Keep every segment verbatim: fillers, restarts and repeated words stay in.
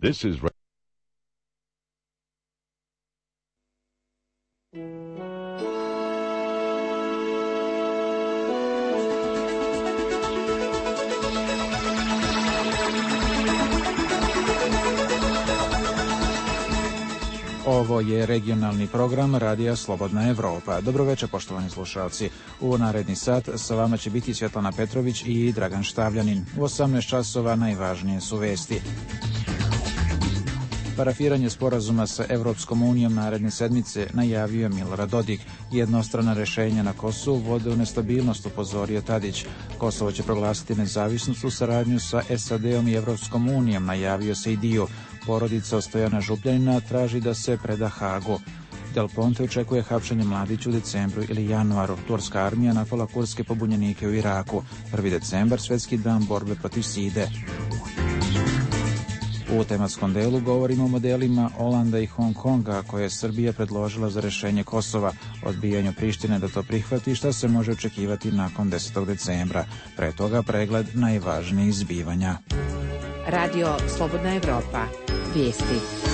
This is Ovo je regionalni program Radija Slobodna Evropa. Dobro večer, poštovani slušalci. U naredni sat sa vama će biti Svjetlana Petrović i Dragan Štavljanin. U osamnaest časova najvažnije su vesti. Parafiranje sporazuma sa Evropskom unijom naredne sedmice najavio Milorad Dodik. Jednostrana rešenja na Kosovu vode u nestabilnost, upozorio Tadić. Kosovo će proglasiti nezavisnost u saradnju sa es a de-om i Evropskom unijom, najavio Sejdiu. Porodica Stojana Župljanina traži da se preda Hagu. Del Ponte očekuje hapšenje Mladića u decembru ili januaru. Turska armija napala kurske pobunjenike u Iraku. prvi decembar, svjetski dan borbe protiv side. U tematskom delu govorimo o modelima Olanda i Hong Konga koje je Srbija predložila za rešenje Kosova, odbijanju Prištine da to prihvati, šta se može očekivati nakon desetog decembra. Pre toga pregled najvažnijih zbivanja. Radio Slobodna Evropa. Vijesti.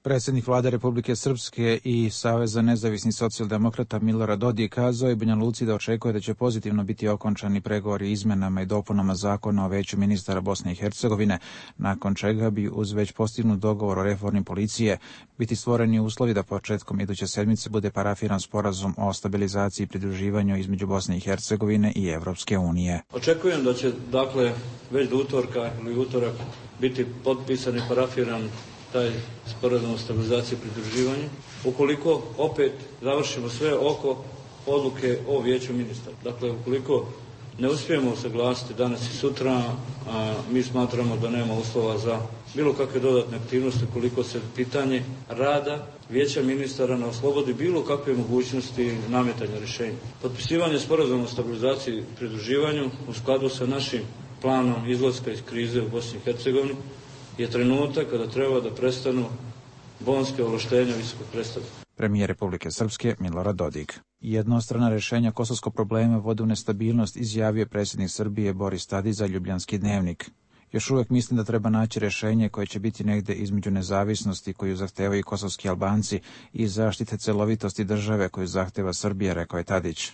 Predsjednik vlade Republike Srpske i Saveza nezavisnih socijaldemokrata Milorad Dodik kazao je Banja Luci da očekuje da će pozitivno biti okončani pregovori izmenama i dopunama zakona o veću ministara Bosne i Hercegovine, nakon čega bi uz već postignut dogovor o reformi policije biti stvoreni uslovi da početkom iduće sedmice bude parafiran sporazum o stabilizaciji i pridruživanju između Bosne i Hercegovine i Evropske unije. Očekujem da će, dakle, već do utorka ili utorak biti potpisan i parafiran taj sporazum o stabilizaciji i pridruživanju, ukoliko opet završimo sve oko odluke o vijeću ministara. Dakle, ukoliko ne uspijemo usaglasiti danas i sutra, a mi smatramo da nema uslova za bilo kakve dodatne aktivnosti ukoliko se pitanje rada vijeća ministara ne oslobodi bilo kakve mogućnosti nametanja rješenja. Potpisivanje sporazuma o stabilizaciji i pridruživanju u skladu sa našim planom izlaska iz krize u Bosni i Hercegovini je trenutak kada treba da prestanu bonske ovlaštenja visokog predstavnika. Premijer Republike Srpske Milorad Dodik. Jednostrana rešenja kosovskog problema vode u nestabilnost, izjavio predsjednik Srbije Boris Tadić za Ljubljanski dnevnik. Još uvijek mislim da treba naći rješenje koje će biti negde između nezavisnosti koju zahtevaju kosovski Albanci i zaštite celovitosti države koju zahteva Srbija, rekao je Tadić.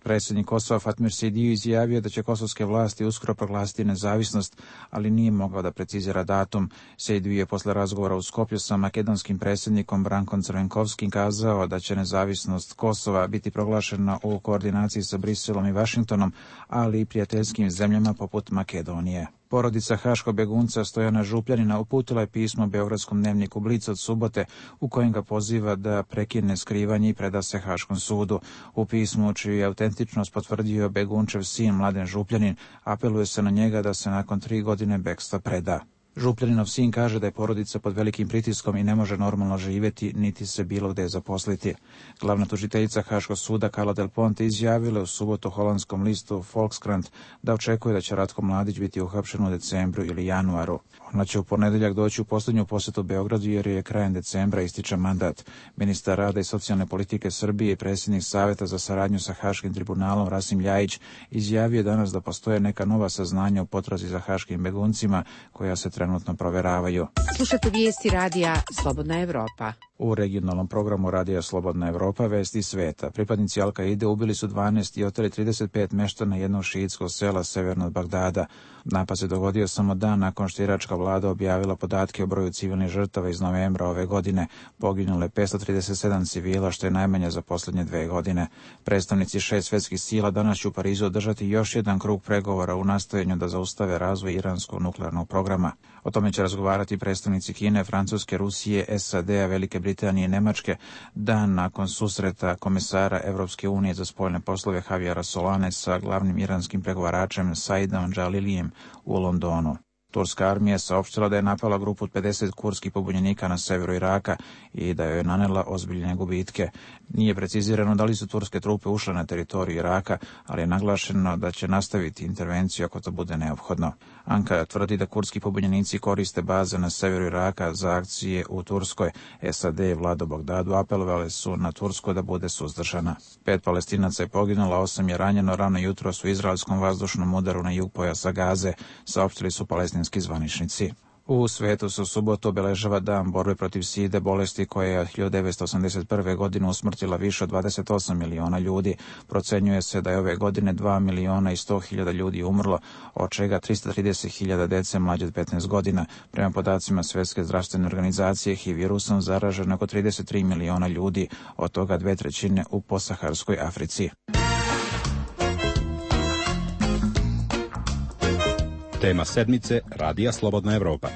Predsjednik Kosova Fatmir Sejdiu izjavio da će kosovske vlasti uskoro proglasiti nezavisnost, ali nije mogao da precizira datum. Sejdiu je posle razgovora u Skopju sa makedonskim predsjednikom Brankom Crvenkovskim kazao da će nezavisnost Kosova biti proglašena u koordinaciji sa Briselom i Vašingtonom, ali i prijateljskim zemljama poput Makedonije. Porodica haškog begunca Stojana Župljanina uputila je pismo beogradskom dnevniku Blic od subote u kojem ga poziva da prekine skrivanje i preda se Haškom sudu. U pismu, čiju je autentičnost potvrdio begunčev sin Mladen Župljanin, apeluje se na njega da se nakon tri godine bekstva preda. Župljaninov sin kaže da je porodica pod velikim pritiskom i ne može normalno živjeti, niti se bilo gde zaposliti. Glavna tužiteljica Haškog suda Carla Del Ponte izjavila u subotu holandskom listu Volkskrant da očekuje da će Ratko Mladić biti uhapšen u decembru ili januaru. Ona će u ponedeljak doći u posljednju posjetu Beogradu jer je krajem decembra ističe mandat. Ministar rada i socijalne politike Srbije i predsjednik Saveta za saradnju sa Haškim tribunalom Rasim Ljajić izjavio danas da postoje neka nova saznanja u potrazi za haškim beguncima koja se trenutno proveravaju. Slušate vijesti Radija Slobodna Evropa. U regionalnom programu Radija Slobodna Evropa vesti sveta. Pripadnici Al-Kaide ubili su dvanaest i oteli trideset pet meštana jednog šiitskog sela severno od Bagdada. Napad se dogodio samo dan nakon što iračka vlada objavila podatke o broju civilnih žrtava iz novembra ove godine. Poginulo je petsto trideset sedam civila, što je najmanje za posljednje dve godine. Predstavnici šest svjetskih sila danas će u Parizu održati još jedan krug pregovora u nastojanju da zaustave razvoj iranskog nuklearnog programa. O tome će razgovarati predstavnici Kine, Francuske, Rusije, es a de-a, Velike Britanije i Nemačke, dan nakon susreta komesara Evropske unije za spoljne poslove Javiera Solane sa glavnim iranskim pregovaračem Saidom Džalilijem u Londonu. Turska armija saopštila da je napala grupu od pedeset kurskih pobunjenika na severu Iraka i da joj je nanela ozbiljne gubitke. Nije precizirano da li su turske trupe ušle na teritoriju Iraka, ali je naglašeno da će nastaviti intervenciju ako to bude neophodno. Ankara tvrdi da kurski pobunjenici koriste baze na severu Iraka za akcije u Turskoj. es a de i vlada u Bagdadu apelovale su na Tursku da bude suzdržana. Pet Palestinaca je poginulo, osam je ranjeno rano jutros u izraelskom vazdušnom udaru na jug pojasa Gaze, saopštili su palestinski kineski zvaničnici. U svetu se u subotu obeležava dan borbe protiv side, bolesti koja je od hiljadu devetsto osamdeset prve. godine usmrtila više od dvadeset osam miliona ljudi. Procenjuje se da je ove godine dva miliona i sto hiljada ljudi umrlo, od čega trista trideset hiljada dece mlađe od petnaest godina. Prema podacima Svjetske zdravstvene organizacije, H I V virusom zaraženo oko trideset tri miliona ljudi, od toga dve trećine u podsaharskoj Africi. Tema sedmice Radija Slobodna Evropa.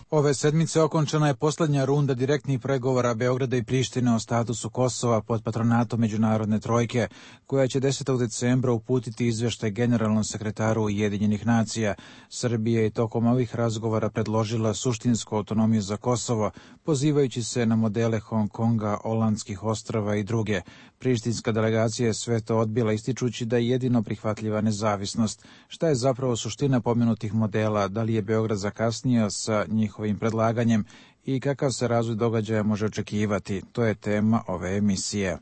Ove sedmice okončana je posljednja runda direktnih pregovora Beograda i Prištine o statusu Kosova pod patronatom Međunarodne trojke, koja će desetog decembra uputiti izveštaj generalnom sekretaru Ujedinjenih nacija. Srbija je tokom ovih razgovora predložila suštinsku autonomiju za Kosovo, pozivajući se na modele Hong Konga, Olandskih ostrava i druge. Prištinska delegacija je sve to odbila, ističući da je jedino prihvatljiva nezavisnost. Šta je zapravo suština pomenutih modela, da li je Beograd zakasnio sa njihovim predlaganjem i kakav se razvoj događaja može očekivati? To je tema ove emisije.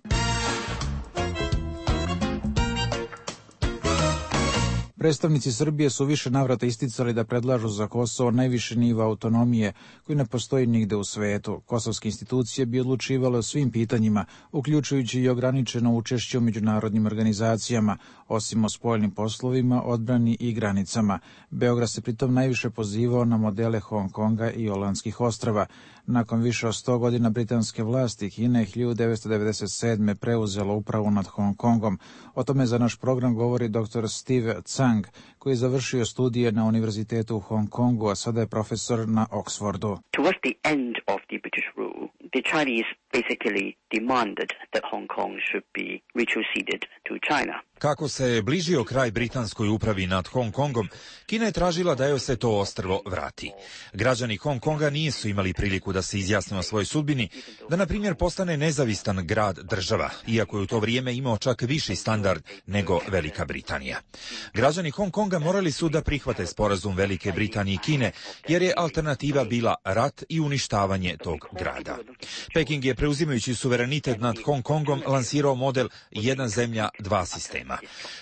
Predstavnici Srbije su više navrata isticali da predlažu za Kosovo najviše nivo autonomije koji ne postoji nigde u svetu. Kosovske institucije bi odlučivale o svim pitanjima, uključujući i ograničeno učešće u međunarodnim organizacijama, osim o spoljnim poslovima, odbrani i granicama. Beograd se pritom najviše pozivao na modele Hong Konga i Olandskih ostrava. Nakon više od sto godina britanske vlasti, Kina je hiljadu devetsto devedeset sedme. preuzela upravu nad Hong Kongom. O tome za naš program govori dr. Steve Tsang, koji je završio studije na Univerzitetu u Hong Kongu, a sada je profesor na Oxfordu. Towards the end of the British rule, the Chinese basically demanded that Hong Kong should be retroceded to China. Kako se bližio kraj britanskoj upravi nad Hong Kongom, Kina je tražila da joj se to ostrvo vrati. Građani Hong Konga nisu imali priliku da se izjasne o svojoj sudbini, da na primjer postane nezavistan grad država, iako je u to vrijeme imao čak viši standard nego Velika Britanija. Građani Hong Konga morali su da prihvate sporazum Velike Britanije i Kine, jer je alternativa bila rat i uništavanje tog grada. Peking je, preuzimajući suverenitet nad Hong Kongom, lansirao model jedna zemlja, dva sistema.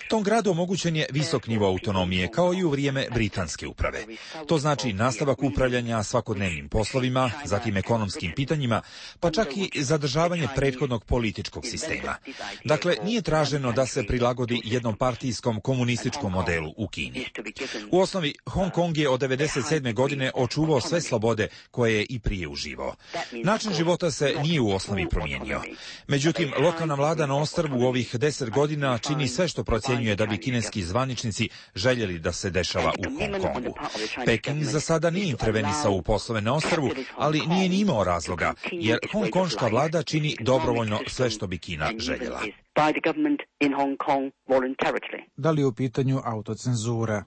Tom gradu omogućen je visok nivo autonomije, kao i u vrijeme britanske uprave. To znači nastavak upravljanja svakodnevnim poslovima, zatim ekonomskim pitanjima, pa čak i zadržavanje prethodnog političkog sistema. Dakle, nije traženo da se prilagodi jednom partijskom komunističkom modelu u Kini. U osnovi, Hong Kong je od devedeset sedme. godine očuvao sve slobode koje je i prije uživao. Način života se nije u osnovi promijenio. Međutim, lokalna vlada na ostrvu u ovih deset godina čini sve što procjenjuje da bi kineski zvaničnici željeli da se dešava u Hong Kongu. Peking za sada nije intervenisao u poslove na ostrvu, ali nije ni imao razloga, jer hongkonška vlada čini dobrovoljno sve što bi Kina željela. Da li je u pitanju autocenzura?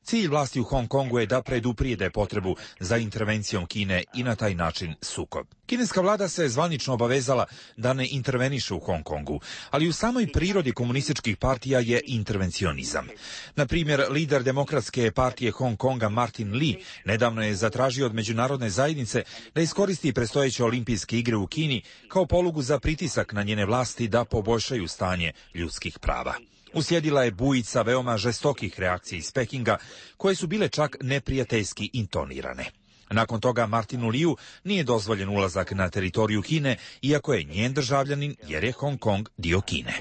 Cilj vlasti u Hong Kongu je da preduprijede potrebu za intervencijom Kine i na taj način sukob. Kineska vlada se zvanično obavezala da ne interveniše u Hong Kongu, ali u samoj prirodi komunističkih partija je intervencionizam. Na primjer, lider Demokratske partije Hong Konga Martin Lee nedavno je zatražio od međunarodne zajednice da iskoristi predstojeće olimpijske igre u Kini kao polugu za pritisak na njene vlasti da poboljšaju stanje ljudskih prava. Uslijedila je bujica veoma žestokih reakcija iz Pekinga, koje su bile čak neprijateljski intonirane. Nakon toga Martinu Liu nije dozvoljen ulazak na teritoriju Kine, iako je njen državljanin, jer je Hong Kong dio Kine.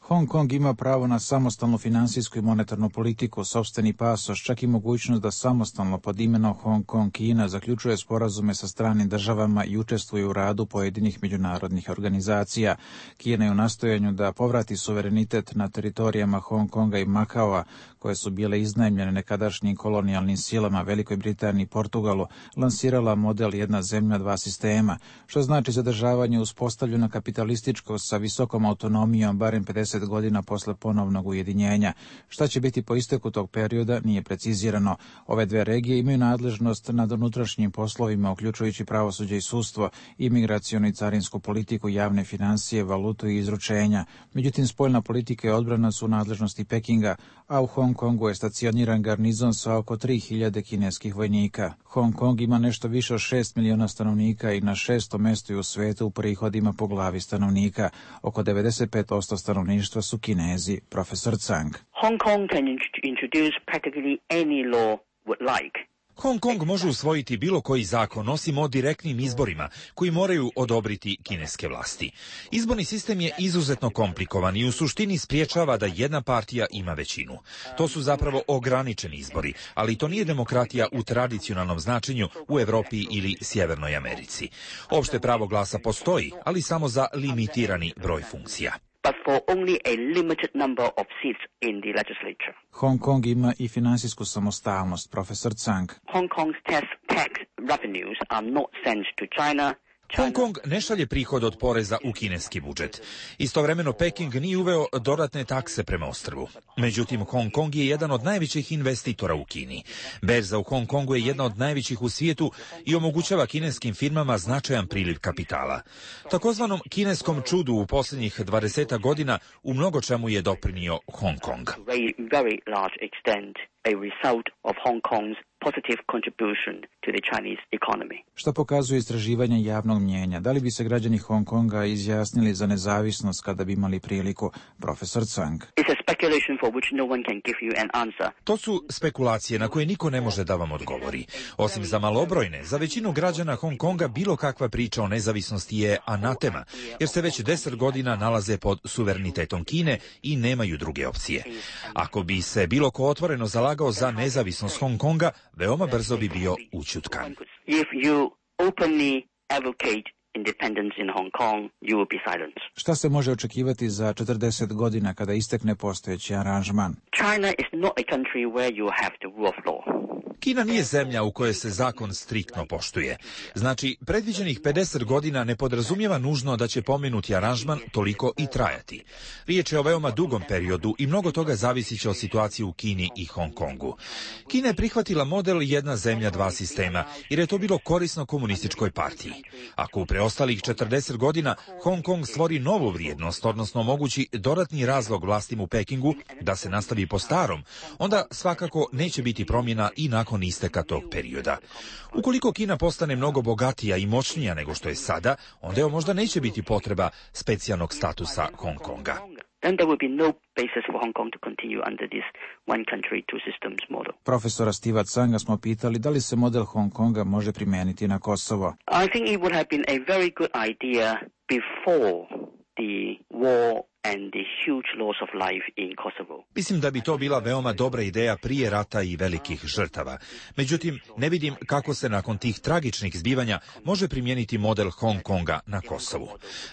Hong Kong ima pravo na samostalnu finansijsku i monetarnu politiku, sopstveni pasoš, čak i mogućnost da samostalno pod imenom Hong Kong Kina zaključuje sporazume sa stranim državama i učestvuje u radu pojedinih međunarodnih organizacija. Kina je u nastojanju da povrati suverenitet na teritorijama Hong Konga i Makaoa, koje su bile iznajmljene nekadašnjim kolonijalnim silama Velikoj Britaniji i Portugalu, lansirala model jedna zemlja, dva sistema, što znači zadržavanje uspostavljeno kapitalističko sa visokom autonomijom autonomijom barem pedeset godina posle ponovnog ujedinjenja. Šta će biti po isteku tog perioda nije precizirano. Ove dve regije imaju nadležnost nad unutrašnjim poslovima, uključujući pravosuđe i sudstvo, imigracionu i carinsku politiku, javne financije, valutu i izručenja. Međutim, spoljna politika i odbrana su u nadležnosti Pekinga, a u Hong Kongu je stacioniran garnizon sa oko tri hiljade kineskih vojnika. Hong Kong ima nešto više od šest miliona stanovnika i na šestom mestu je u svetu u prihodima po glavi stanovnika. Oko devedeset pet posto stanovništva su Kinezi, profesor Zhang. Hong Kong can introduce practically any law would like. Hong Kong može usvojiti bilo koji zakon, osim o direktnim izborima, koji moraju odobriti kineske vlasti. Izborni sistem je izuzetno komplikovan i u suštini spriječava da jedna partija ima većinu. To su zapravo ograničeni izbori, ali to nije demokratija u tradicionalnom značenju u Evropi ili Sjevernoj Americi. Opšte pravo glasa postoji, ali samo za limitirani broj funkcija. But for only a limited number of seats in the legislature. Hong Kong ima i finansijsku samostalnost, profesor Zhang. Hong Kong's tax, tax revenues are not sent to China. Hong Kong ne šalje prihod od poreza u kineski budžet. Istovremeno Peking nije uveo dodatne takse prema ostrvu. Međutim, Hong Kong je jedan od najvećih investitora u Kini. Berza u Hong Kongu je jedna od najvećih u svijetu i omogućava kineskim firmama značajan priliv kapitala. Takozvanom kineskom čudu u posljednjih dvadeset godina u mnogo čemu je doprinio Hong Kong. Very, very large extent a result of Hong Kong's positive contribution to the Chinese economy. Šta pokazuje istraživanje javnog mnjenja? Da li bi se građani Hong Konga izjasnili za nezavisnost kada bi imali priliku? Profesor Zhang. It's a speculation for which no one can give you an answer. To su spekulacije na koje niko ne može da vam odgovori. Osim za malobrojne, za većinu građana Hong Konga bilo kakva priča o nezavisnosti je anatema, jer se već deset godina nalaze pod suverenitetom Kine i nemaju druge opcije. Ako bi se bilo ko otvoreno zalagao za nezavisnost Hong Konga, veoma brzo bi bio ućutkan. If you openly advocate independence in Hong Kong, you will be silenced. Šta se može očekivati za četrdeset godina kada istekne postojeći aranžman? China is not a country where you have the rule of law. Kina nije zemlja u kojoj se zakon striktno poštuje. Znači, predviđenih pedeset godina ne podrazumijeva nužno da će pomenuti aranžman toliko i trajati. Riječ je o veoma dugom periodu i mnogo toga zavisit će od situacije u Kini i Hong Kongu. Kina je prihvatila model jedna zemlja, dva sistema, jer je to bilo korisno komunističkoj partiji. Ako u preostalih četrdeset godina Hong Kong stvori novu vrijednost, odnosno omogući dodatni razlog vlastima u Pekingu da se nastavi po starom, onda svakako neće biti promjena i nakon isteka tog perioda. Ukoliko Kina postane mnogo bogatija i moćnija nego što je sada, onda joj možda neće biti potreba specijalnog statusa Hong Konga. Then there will be no basis for Hong Kong to continue under this one country, two systems model. Profesora Steva Zhanga smo pitali da li se model Hong Konga može primijeniti na Kosovo. I think it would have been a very good idea before the war and the huge loss of life in Kosovo. Mislim da bi to bila veoma dobra ideja prije rata i velikih žrtava. Međutim, ne vidim kako se nakon tih tragičnih zbivanja može primijeniti model Hong Konga na Kosovu.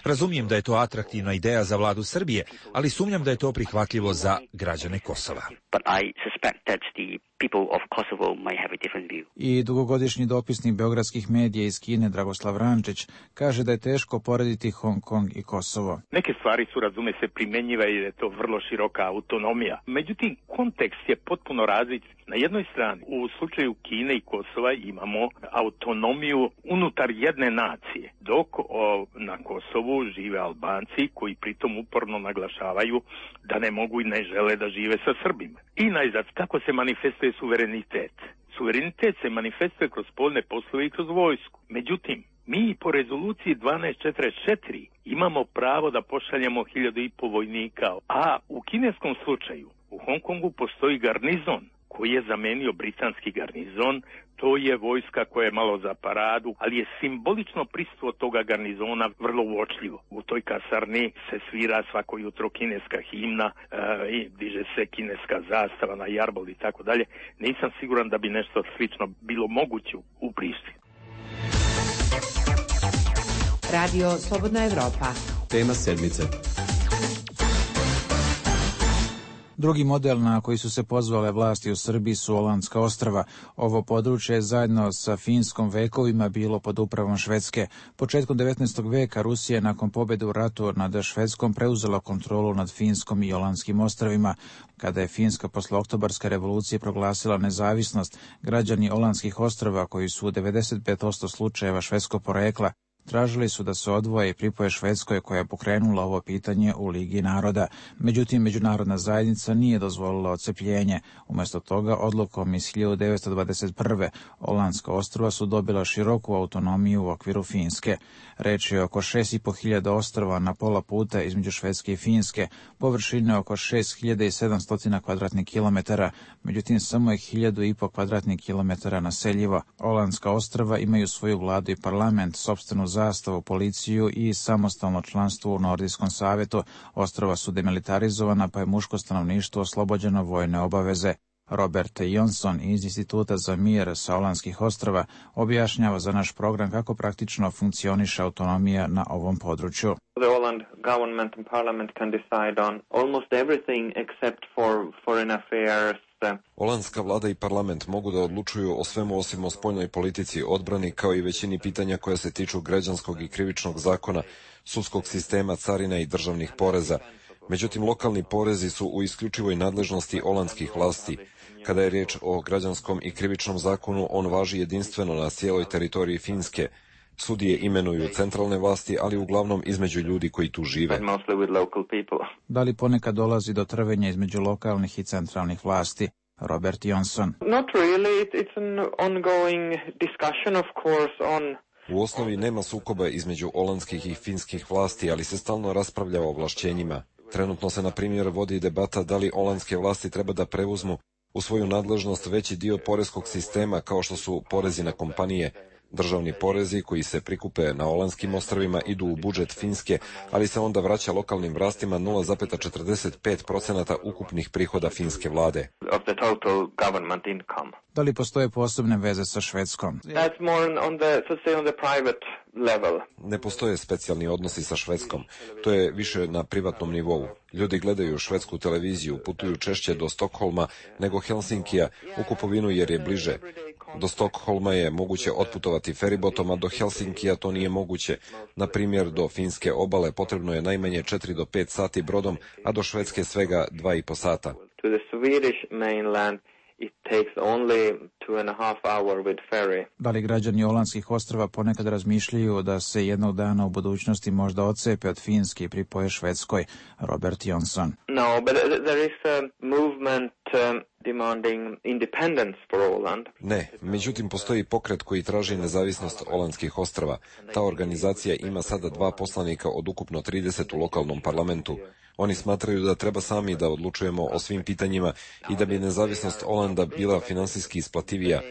Razumijem da je to atraktivna ideja za vladu Srbije, ali sumnjam da je to prihvatljivo za građane Kosova. But I suspect that the people of Kosovo might have a different view. I dugogodišnji dopisnik beogradskih medija iz Kine Dragoslav Rančić kaže da je teško porediti Hong Kong i Kosovo. Neke stvari su, razume se, primjenjive i je to vrlo široka autonomija. Međutim, kontekst je potpuno različit. Na jednoj strani, u slučaju Kine i Kosova imamo autonomiju unutar jedne nacije, dok o, na Kosovu žive Albanci koji pritom uporno naglašavaju da ne mogu i ne žele da žive sa Srbima. I najzad, kako se manifestuje suverenitet? Suverenitet se manifestuje kroz spoljne poslove i kroz vojsku. Međutim, mi po rezoluciji dvanaest četrdeset četiri imamo pravo da pošaljemo hiljadu i po vojnika, a u kineskom slučaju u Hong Kongu postoji garnizon koji je zamenio britanski garnizon. To je vojska koja je malo za paradu, ali je simbolično prisustvo toga garnizona vrlo uočljivo. U toj kasarni se svira svako jutro kineska himna e, i diže se kineska zastava na jarbol i tako dalje. Nisam siguran da bi nešto slično bilo moguće u Prištini. Radio Slobodna Evropa. Tema sedmice. Drugi model na koji su se pozvale vlasti u Srbiji su Olandska ostrva. Ovo područje je zajedno sa Finskom vekovima bilo pod upravom Švedske. Početkom devetnaestog veka Rusija je nakon pobjede u ratu nad Švedskom preuzela kontrolu nad Finskom i Olandskim ostrvima. Kada je Finska posle Oktobarske revolucije proglasila nezavisnost, građani Olandskih ostrva, koji su u devedeset pet posto slučajeva švedskog porekla, tražili su da se odvoje i pripoje Švedskoj, koja je pokrenula ovo pitanje u Ligi naroda. Međutim, međunarodna zajednica nije dozvolila odcepljenje. Umjesto toga, odlukom iz hiljadu devetsto dvadeset prve. Olandska ostrva su dobila široku autonomiju u okviru Finske. Reč je oko šest i po hiljada ostrva na pola puta između Švedske i Finske, površine oko šest hiljada sedamsto kvadratnih kilometara, međutim samo je hiljadu i po kvadratnih kilometara naseljivo. Olandska ostrva imaju svoju vladu i parlament, sopstvenu zastavu, policiju i samostalno članstvo u Nordijskom savjetu. Ostrva su demilitarizovana, pa je muško stanovništvo oslobođeno vojne obaveze. Robert Jonsson iz Instituta za mir sa Olandskih ostrva objašnjava za naš program kako praktično funkcioniše autonomija na ovom području. The Åland government and parliament can decide on almost everything except for foreign affairs. Olandska vlada i parlament mogu da odlučuju o svemu osim o spoljnoj politici, odbrani, kao i većini pitanja koja se tiču građanskog i krivičnog zakona, sudskog sistema, carina i državnih poreza. Međutim, lokalni porezi su u isključivoj nadležnosti olandskih vlasti. Kada je riječ o građanskom i krivičnom zakonu, on važi jedinstveno na cijeloj teritoriji Finske. Sudije imenuju centralne vlasti, ali uglavnom između ljudi koji tu žive. Da li ponekad dolazi do trvenja između lokalnih i centralnih vlasti? Robert Jonsson. Not really. It's an ongoing discussion, of course, on U osnovi nema sukoba između olandskih i finskih vlasti, ali se stalno raspravlja o ovlašćenjima. Trenutno se, na primjer, vodi debata da li olandske vlasti treba da preuzmu u svoju nadležnost veći dio poreskog sistema, kao što su porezi na kompanije. Državni porezi koji se prikupe na Olandskim ostrvima idu u budžet Finske, ali se onda vraća lokalnim vlastima nula zarez četrdeset pet posto ukupnih prihoda finske vlade. of the total government income. Da li postoje posebne veze sa Švedskom? That's more on the, so say, on the private level. Ne postoje specijalni odnosi sa Švedskom. To je više na privatnom nivou. Ljudi gledaju švedsku televiziju, putuju češće do Stokholma nego Helsinkija u kupovinu jer je bliže. Do Stokholma je moguće otputovati feribotom, a do Helsinkija to nije moguće. Na primjer, do finske obale potrebno je najmanje četiri do pet sati brodom, a do Švedske svega dva i po sata. To the Swedish mainland it takes only two and a half hour with ferry. Da li građani Olandskih ostrva ponekad razmišljaju da se jednog dana u budućnosti možda odcepe od Finske i pripoje Švedskoj? Robert Jonsson. No, but there is a movement um, demanding independence for Åland. Ne, međutim postoji pokret koji traži nezavisnost Olandskih ostrva. Ta organizacija ima sada dva poslanika od ukupno trideset u lokalnom parlamentu. Oni smatraju da treba sami da odlučujemo o svim pitanjima i da bi nezavisnost Olanda bila finansijski isplativija.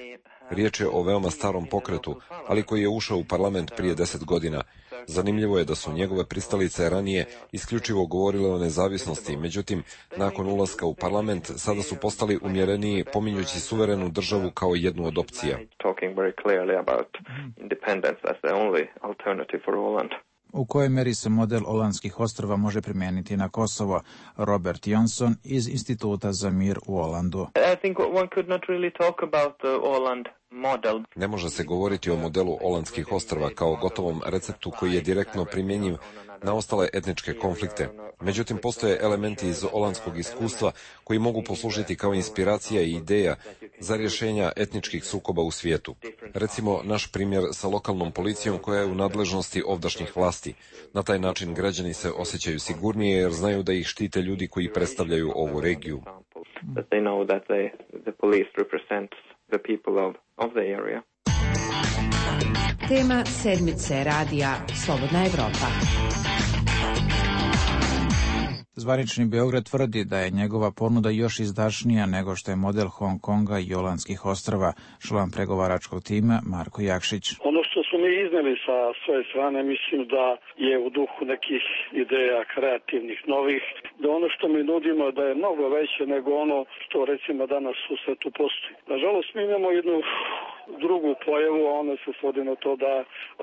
Riječ je o veoma starom pokretu, ali koji je ušao u parlament prije deset godina. Zanimljivo je da su njegove pristalice ranije isključivo govorile o nezavisnosti, međutim, nakon ulaska u parlament, sada su postali umjereniji, pominjući suverenu državu kao jednu od opcija. U kojoj meri se model Olandskih ostrva može primijeniti na Kosovo? Robert Jonsson iz Instituta za mir u Olandu. I think one could not really talk about the Åland model. Ne može se govoriti o modelu Olandskih ostrva kao gotovom receptu koji je direktno primjenjiv na ostale etničke konflikte. Međutim, postoje elementi iz olandskog iskustva koji mogu poslužiti kao inspiracija i ideja za rješenja etničkih sukoba u svijetu. Recimo, naš primjer sa lokalnom policijom koja je u nadležnosti ovdašnjih vlasti. Na taj način građani se osjećaju sigurnije jer znaju da ih štite ljudi koji predstavljaju ovu regiju. Tema sedmice radija Slobodna Evropa. Zvanični Beograd tvrdi da je njegova ponuda još izdašnija nego što je model Hong Konga i Olandskih ostrva. Član pregovaračkog tima Marko Jakšić. Ono što smo mi izneli sa svoje strane, mislim da je u duhu nekih ideja kreativnih, novih, da ono što mi nudimo da je mnogo veće nego ono što recimo danas u svetu postoji. Nažalost, mi imamo jednu drugu pojavu, a ona se svodi na to da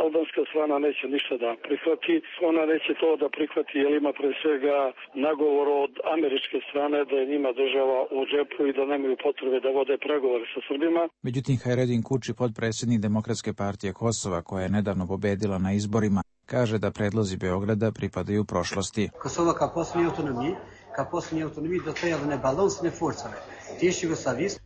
albanska strana neće ništa da prihvati. Ona neće to da prihvati jer ima pre svega nagovor od američke strane da je njima država u džepu i da nemaju potrebe da vode pregovore sa Srbima. Međutim, Hajredin Kuči, potpredsjednik Demokratske partije Kosova, koja je nedavno pobedila na izborima, kaže da predlozi Beograda pripadaju prošlosti. Kosova kao posljednje autonomije, kao posljednje autonomije dotajavane balansne forcove.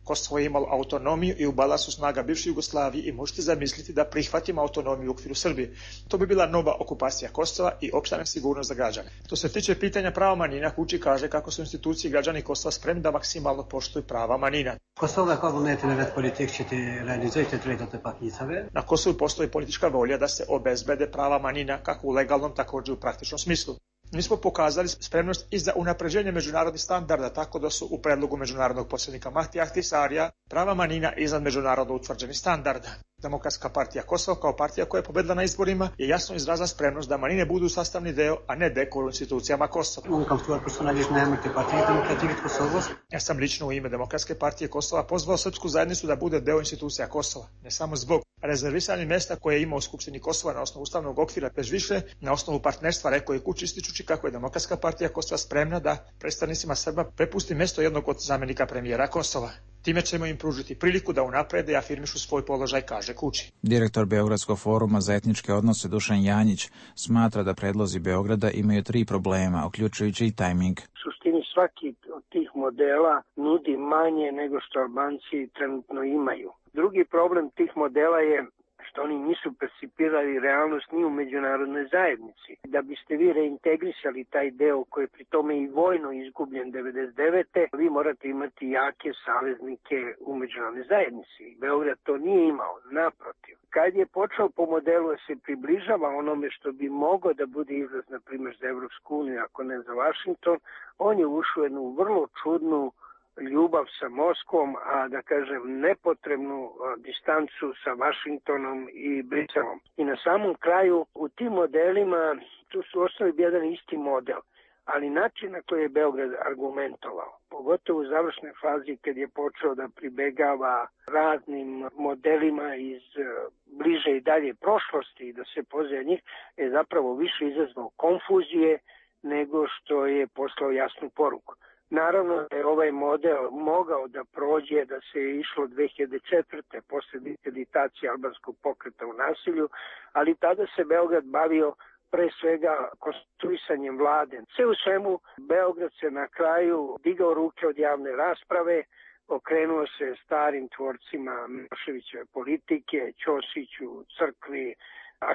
Kosovo je imalo autonomiju i u balansu snaga bivše Jugoslavije i možete zamisliti da prihvatimo autonomiju u okviru Srbije. To bi bila nova okupacija Kosova i opšta nesigurnost za građane. Što se tiče pitanja prava manjina, Kuči kaže kako su institucije i građani Kosova spremni da maksimalno poštuju prava manjina. Na Kosovu postoji politička volja da se obezbede prava manjina kako u legalnom, također u praktičnom smislu. Mi smo pokazali spremnost i za unapređenje međunarodnih standarda, tako da su u predlogu međunarodnog posrednika Mahtija Ahtisarija prava manjina iznad međunarodno utvrđenih standarda. Demokratska partija Kosova kao partija koja je pobedila na izborima je jasno izrazila spremnost da manjine budu sastavni deo, a ne dekor u institucijama Kosova. Ja sam lično u ime Demokratske partije Kosova pozvao srpsku zajednicu da bude deo institucija Kosova, ne samo zbog rezervisanih mjesta koje ima u Skupštini Kosova na osnovu ustavnog okvira, već više na osnovu partnerstva, rekao je Kuči, ističući kako je Demokratska partija Kosova spremna da predstavnicima Srba prepusti mjesto jednog od zamjenika premijera Kosova. Time ćemo im pružiti priliku da unaprede i afirmišu svoj položaj, kaže Kuči. Direktor Beogradskog foruma za etničke odnose Dušan Janjić smatra da predlozi Beograda imaju tri problema, uključujući i tajming. U suštini svaki od tih modela nudi manje nego što Albanci trenutno imaju. Drugi problem tih modela je što oni nisu percipirali realnost ni u međunarodnoj zajednici. Da biste vi reintegrisali taj deo koji je pri tome i vojno izgubljen devedeset devete. vi morate imati jake saveznike u međunarodnoj zajednici. Beograd to nije imao, naprotiv. Kad je počeo po modelu da se približava onome što bi mogao da bude izlaz, na primjer, za Evropsku uniju, ako ne za Vašington, on je ušao u jednu vrlo čudnu ljubav sa Moskvom, a da kažem nepotrebnu a, distancu sa Vašingtonom i Briselom. I na samom kraju u tim modelima tu su ostali jedan isti model, ali način na koji je Beograd argumentovao, pogotovo u završnoj fazi kad je počeo da pribegava raznim modelima iz a, bliže i dalje prošlosti i da se poziva njih, je zapravo više izazvao konfuzije nego što je poslao jasnu poruku. Naravno da je ovaj model mogao da prođe, da se je išlo dve hiljade četvrte posle diskreditacije albanskog pokreta u nasilju, ali tada se Beograd bavio pre svega konstruisanjem vlade. Sve u svemu, Beograd se na kraju digao ruke od javne rasprave, okrenuo se starim tvorcima Miloševićeve politike, Ćosiću, crkvi,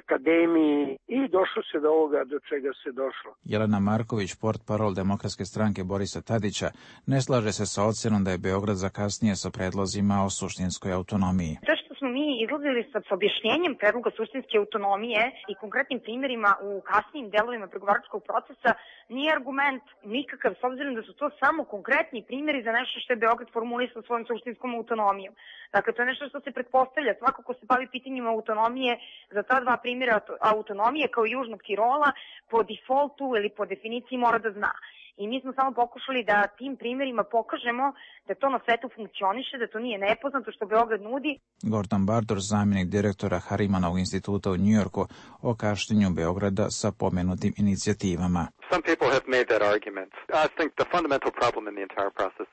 akademiji i došlo se do ovoga do čega se došlo. Jelena Marković, portparol Demokratske stranke Borisa Tadića, ne slaže se sa ocjenom da je Beograd zakasnije sa predlozima o suštinskoj autonomiji. To što smo mi izlazili sa, sa objašnjenjem predloga suštinske autonomije i konkretnim primjerima u kasnijim delovima pregovaračkog procesa nije argument nikakav, s obzirom da su to samo konkretni primjeri za nešto što je Beograd formulisao svojom suštinskom autonomijom. Dakle, to je nešto što se pretpostavlja. Svako ko se bavi pitanjima autonomije za ta dva primjera autonomije kao i Južnog Tirola po defaultu ili po definiciji mora da zna. I mi smo samo pokušali da tim primjerima pokažemo da to na svetu funkcioniše, da to nije nepoznato što Beograd nudi. Gordon Bardor, zamjenik direktora Harimanovog instituta u Njujorku, o kašnjenju Beograda sa pomenutim inicijativama.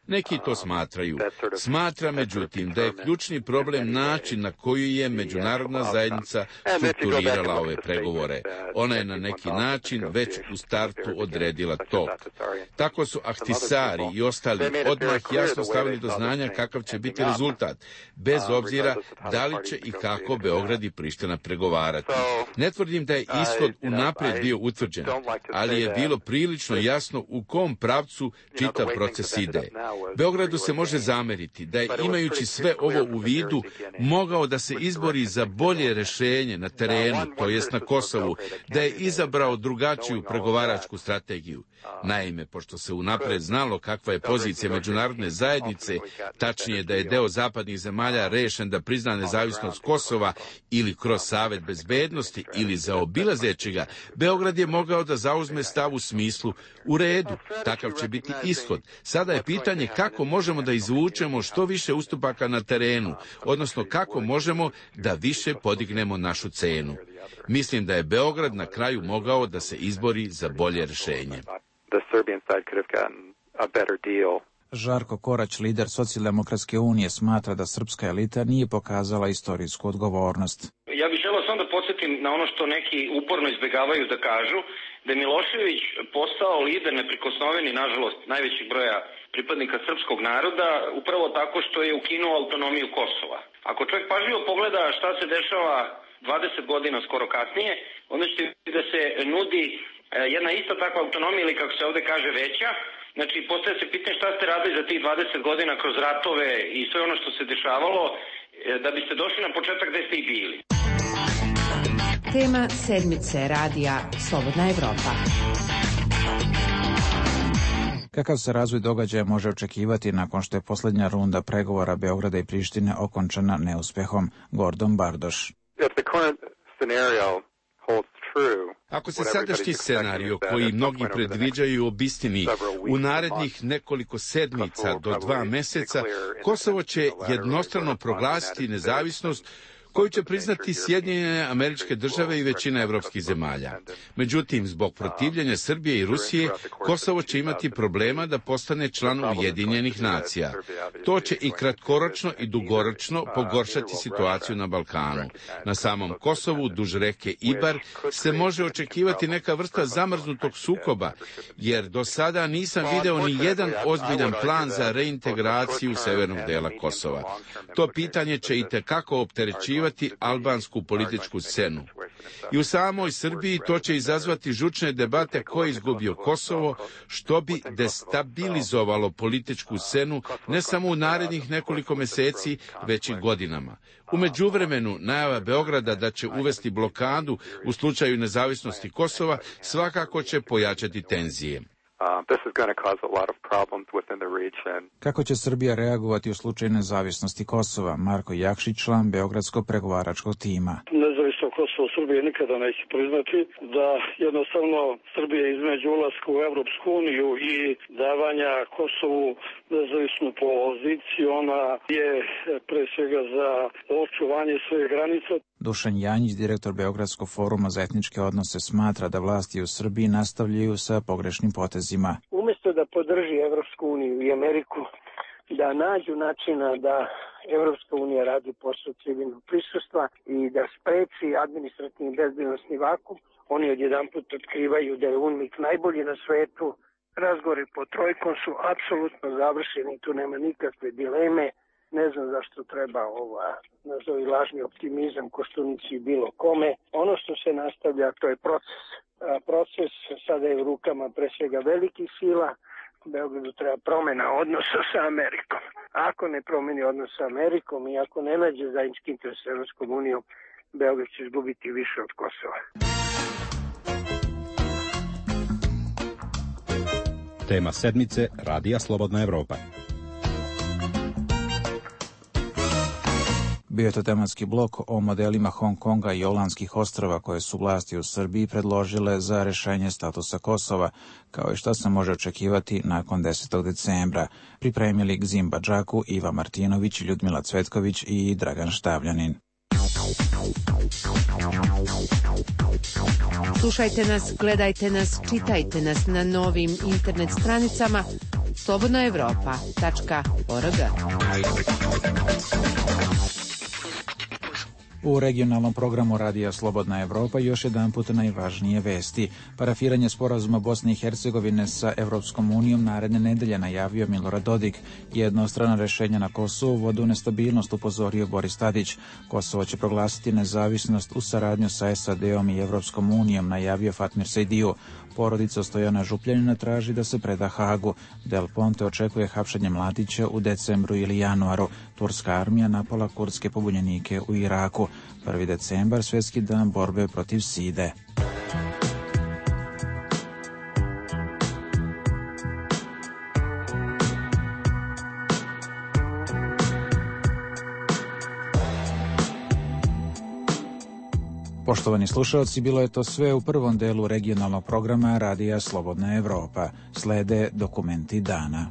Neki to smatraju. Smatra, međutim, da je ključni problem način na koji je međunarodna zajednica strukturirala ove pregovore. Ona je na neki način već u startu odredila to. Tako su Ahtisari i ostali odmah jasno stavili do znanja kakav će biti rezultat, bez obzira da li će i kako Beograd i Priština pregovarati. Ne tvrdim da je ishod unaprijed bio utvrđen, ali je bilo prilično jasno u kom pravcu čitav proces ide. Beogradu se može zameriti da je, imajući sve ovo u vidu, mogao da se izbori za bolje rešenje na terenu, to jest na Kosovu, da je izabrao drugačiju pregovaračku strategiju. Naime, pošto se unapred znalo kakva je pozicija međunarodne zajednice, tačnije da je deo zapadnih zemalja rešen da prizna nezavisnost Kosova ili kroz Savet bezbednosti ili zaobilazeći ga, Beograd je mogao da zauzme stav u smislu u redu, takav će biti ishod. Sada je pitanje kako možemo da izvučemo što više ustupaka na terenu, odnosno kako možemo da više podignemo našu cenu. Mislim da je Beograd na kraju mogao da se izbori za bolje rješenje. Žarko Korać, lider Socijaldemokratske unije, smatra da srpska elita nije pokazala istorijsku odgovornost. Ja bih želeo samo da podsjetim na ono što neki uporno izbegavaju da kažu, da je Milošević postao lider neprikosnoveni, nažalost, najvećeg broja pripadnika srpskog naroda, upravo tako što je ukinuo autonomiju Kosova. Ako čovjek pažljivo pogleda šta se dešava dvadeset godina skoro kasnije, onda ćete vidjeti da se nudi jedna ista takva autonomija ili, kako se ovde kaže, veća. Znači, postaje se pitanje šta ste radili za tih dvadeset godina kroz ratove i sve ono što se dešavalo, da biste došli na početak gde ste i bili. Tema sedmice radija Slobodna Evropa. Kakav se razvoj događaja može očekivati nakon što je posljednja runda pregovora Beograda i Prištine okončana neuspehom? Gordon Bardoš. Ako se sadašnji scenario, koji mnogi predviđaju, obistini, u narednih nekoliko sedmica do dva meseca, Kosovo će jednostrano proglasiti nezavisnost koju će priznati Sjedinjene Američke Države i većina evropskih zemalja. Međutim, zbog protivljenja Srbije i Rusije, Kosovo će imati problema da postane član Ujedinjenih nacija. To će i kratkoročno i dugoročno pogoršati situaciju na Balkanu. Na samom Kosovu, duž reke Ibar, se može očekivati neka vrsta zamrznutog sukoba, jer do sada nisam video ni jedan ozbiljan plan za reintegraciju severnog dela Kosova. To pitanje će i tekako opterećivati albansku političku scenu. I u samoj Srbiji to će izazvati žučne debate ko je izgubio Kosovo, što bi destabilizovalo političku scenu ne samo u narednih nekoliko meseci, već i godinama. U međuvremenu, najava Beograda da će uvesti blokadu u slučaju nezavisnosti Kosova svakako će pojačati tenzije. Kako će Srbija reagovati u slučaju nezavisnosti Kosova? Marko Jakšić, član Beogradskog pregovaračkog tima. Nezavisno Kosovo Srbije nikada neće priznati, da jednostavno Srbija između ulaska u Evropsku uniju i davanja Kosovu nezavisnu poziciju, ona je pre svega za očuvanje svojih granica. Dušan Janjić, direktor Beogradskog foruma za etničke odnose, smatra da vlasti u Srbiji nastavljaju sa pogrešnim potezima. Umjesto da podrži Evropsku uniju i Ameriku, da nađu načina da Evropska unija radi posao civilnog prisustva i da spreči administrativni bezbednosni vakum, oni odjedanput otkrivaju da je UNMIK najbolji na svetu. Razgovori po trojkom su apsolutno završeni, tu nema nikakve dileme. Ne znam zašto treba ova, nazovi lažni optimizam, Koštunici bilo kome. Ono što se nastavlja, to je proces. A proces sada je u rukama pre svega velikih sila. Beogradu treba promena odnosa sa Amerikom. Ako ne promeni odnos sa Amerikom i ako ne nađe zajednički interes s Evropskom unijom, Beograd će izgubiti više od Kosova. Tema sedmice Radija Slobodna Evropa. Bio je to tematski blok o modelima Hong Konga i Olandskih ostrava koje su vlasti u Srbiji predložile za rešenje statusa Kosova, kao i šta se može očekivati nakon desetog decembra. Pripremili Gzim Badžaku, Iva Martinović, Ljudmila Cvetković i Dragan Štavljanin. Slušajte nas, gledajte nas, čitajte nas na novim internet stranicama slobodna evropa tačka org. U regionalnom programu Radija Slobodna Evropa još jedan put najvažnije vesti. Parafiranje sporazuma Bosne i Hercegovine sa Evropskom unijom naredne nedelje najavio Milorad Dodik. Jednostrana rešenja na Kosovu vode u nestabilnost, upozorio Boris Tadić. Kosovo će proglasiti nezavisnost u saradnju sa es a de om i Evropskom unijom, najavio Fatmir Sejdiju. Porodica Stojana Župljanina traži da se preda Hagu. Del Ponte očekuje hapšenje mladića u decembru ili januaru. Turska armija napala kurdske pobunjenike u Iraku. prvi decembar, svjetski dan borbe protiv side. Poštovani slušalci, bilo je to sve u prvom delu regionalnog programa Radija Slobodna Evropa. Slede dokumenti dana.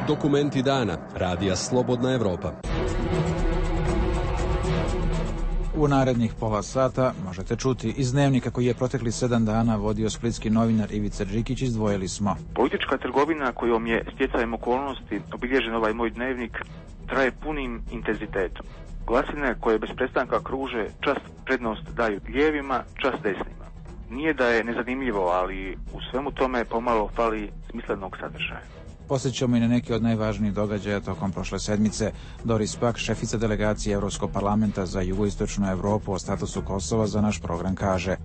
Dokumenti dana. Radija Slobodna Evropa. U narednih pola sata možete čuti iz dnevnika koji je protekli sedam dana vodio splitski novinar Ivica Đikić. Izdvojili smo. Politička trgovina kojom je stjecajem okolnosti obilježen ovaj moj dnevnik traje punim intenzitetom. Glasine koje bez prestanka kruže čast prednost daju lijevima, čast desnima. Nije da je nezanimljivo, ali u svemu tome pomalo fali smislenog sadržaja. Posjećamo i na neki od najvažnijih događaja tokom prošle sedmice. Doris Pak, šefica delegacije Evropskog parlamenta za jugoistočnu Evropu o statusu Kosova, za naš program kaže: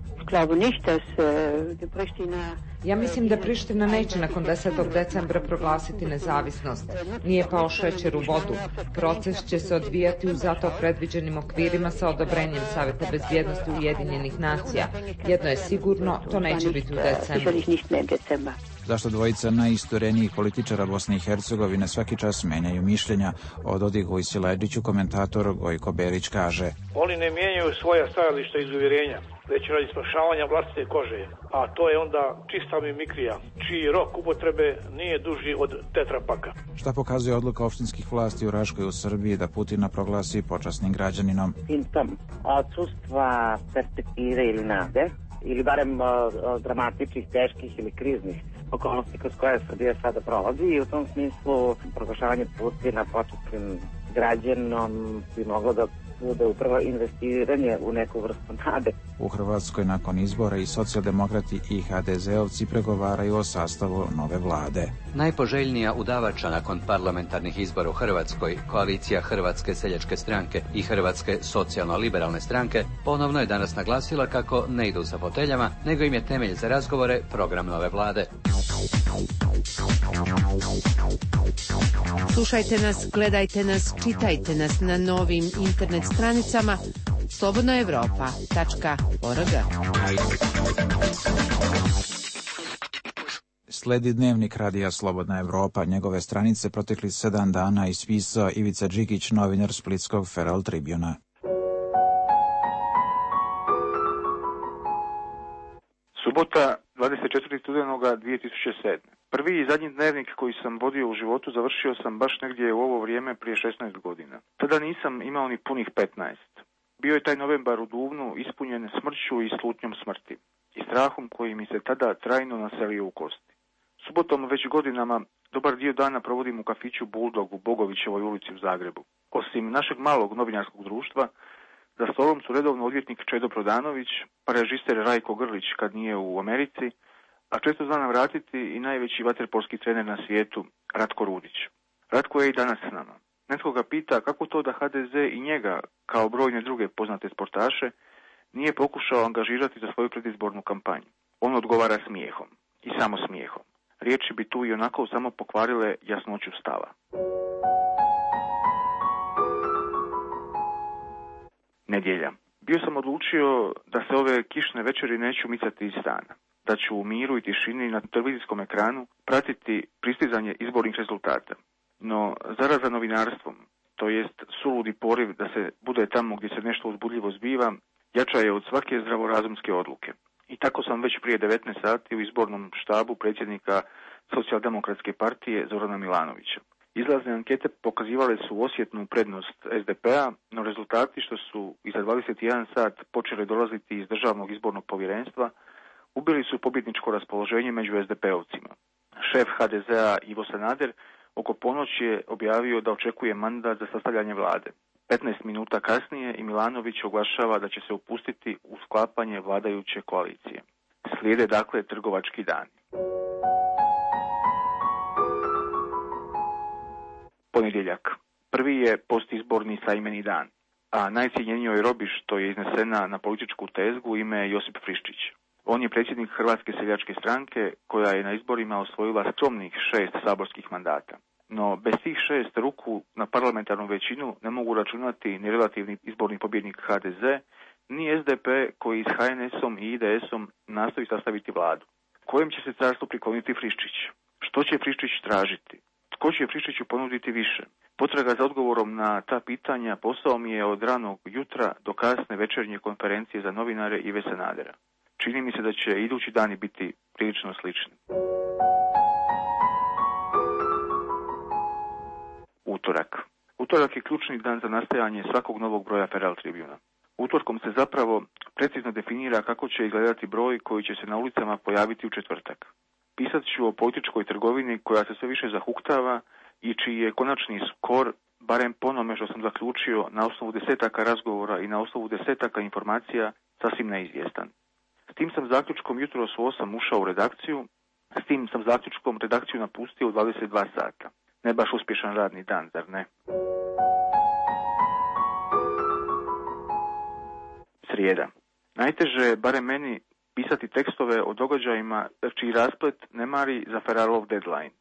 Ja mislim da Priština neće nakon desetog decembra proglasiti nezavisnost. Nije pao šećer u vodu. Proces će se odvijati u zato predviđenim okvirima sa odobrenjem Saveta bezbjednosti Ujedinjenih nacija. Jedno je sigurno, to neće biti u decembru. Zašto dvojica najisturenijih političara Bosne i Hercegovine svaki čas menjaju mišljenja? O Dodiku i Siledžiću komentator Gojko Berić kaže: Oni ne mijenjaju svoja stajališta iz uvjerenja, već radi spašavanja vlastite kože, a to je onda čista mimikrija, čiji rok upotrebe nije duži od tetrapaka. Šta pokazuje odluka opštinskih vlasti u Raškoj u Srbiji da Putina proglasi počasnim građaninom? Simptom odsustva perspektive ili nade, ili barem uh, dramatičnih, teških ili kriznih okolnosti kroz koje Srbija sada prolazi, i u tom smislu proglašavanje Putina početnim građanom bi moglo da bude upravo investiranje u neku vrstu nade. U Hrvatskoj nakon izbora i socijaldemokrati i ha de zeovci pregovaraju o sastavu nove vlade. Najpoželjnija udavača nakon parlamentarnih izbora u Hrvatskoj, koalicija Hrvatske seljačke stranke i Hrvatske socijalno-liberalne stranke, ponovno je danas naglasila kako ne idu za foteljama, nego im je temelj za razgovore program nove vlade. Slušajte nas, gledajte nas, čitajte nas na novim internet stranicama slobodna evropa tačka org. Sledi dnevnik Radija Slobodna Evropa. Njegove stranice protekli sedam dana ispisao Ivica Đikić, novinar splitskog Feral Tribuna. Subota, dvadeset četvrtog studenoga dvije tisuće sedme. Prvi i zadnji dnevnik koji sam vodio u životu završio sam baš negdje u ovo vrijeme prije šesnaest godina. Tada nisam imao ni punih petnaest. Bio je taj novembar u Duvnu ispunjen smrću i slutnjom smrti i strahom koji mi se tada trajno naselio u kosti. Subotom već godinama dobar dio dana provodim u kafiću Bulldog u Bogovićevoj ulici u Zagrebu. Osim našeg malog novinarskog društva, za stolom su redovno odvjetnik Čedo Prodanović, pa režiser Rajko Grlić kad nije u Americi, a često zna nam vratiti i najveći vaterpolski trener na svijetu, Ratko Rudić. Ratko je i danas s nama. Netko ga pita kako to da ha de ze i njega, kao brojne druge poznate sportaše, nije pokušao angažirati za svoju predizbornu kampanju. On odgovara smijehom. I samo smijehom. Riječi bi tu i onako samo pokvarile jasnoću stava. Nedjelja. Bio sam odlučio da se ove kišne večeri neću micati iz stana. Da ću u miru i tišini na televizijskom ekranu pratiti pristizanje izbornih rezultata. No, zaraza novinarstvom, to jest suludi poriv da se bude tamo gdje se nešto uzbudljivo zbiva, jača je od svake zdravorazumske odluke. I tako sam već prije devetnaest sati u izbornom štabu predsjednika Socijaldemokratske partije Zorana Milanovića. Izlazne ankete pokazivale su osjetnu prednost es de pe a, no rezultati što su iza dvadeset jedan sat počeli dolaziti iz Državnog izbornog povjerenstva ubili su pobjedničko raspoloženje među es de pe ovcima. Šef ha de ze a Ivo Sanader oko ponoći je objavio da očekuje mandat za sastavljanje vlade. petnaest minuta kasnije i Milanović oglašava da će se upustiti u sklapanje vladajuće koalicije. Slijede dakle trgovački dani. Ponedjeljak. Prvi je postizborni sajmeni dan, a najcijenjenijoj robi što je iznesena na političku tezgu ime je Josip Friščić. On je predsjednik Hrvatske seljačke stranke koja je na izborima osvojila skromnih šest saborskih mandata. No bez tih šest ruku na parlamentarnu većinu ne mogu računati ni relativni izborni pobjednik ha de ze, ni es de pe koji s ha en esom i i de esom nastoji sastaviti vladu. Kojem će se carstvu prikloniti Friščić? Što će Friščić tražiti? Tko će Friščiću ponuditi više? Potraga za odgovorom na ta pitanja posao mi je od ranog jutra do kasne večernje konferencije za novinare Ive Sanadera. Čini mi se da će idući dani biti prilično slični. Utorak. Utorak je ključni dan za nastajanje svakog novog broja Feral Tribuna. Utorkom se zapravo precizno definira kako će izgledati broj koji će se na ulicama pojaviti u četvrtak. Pisat ću o političkoj trgovini koja se sve više zahuktava i čiji je konačni skor, barem po onome što sam zaključio na osnovu desetaka razgovora i na osnovu desetaka informacija, sasvim neizvjestan. S tim sam zaključkom jutros u osam ušao u redakciju, s tim sam zaključkom redakciju napustio u dvadeset dva sata. Ne baš uspješan radni dan, zar ne? Srijeda. Najteže je, barem meni, pisati tekstove o događajima čiji rasplet ne mari za Feralov deadline.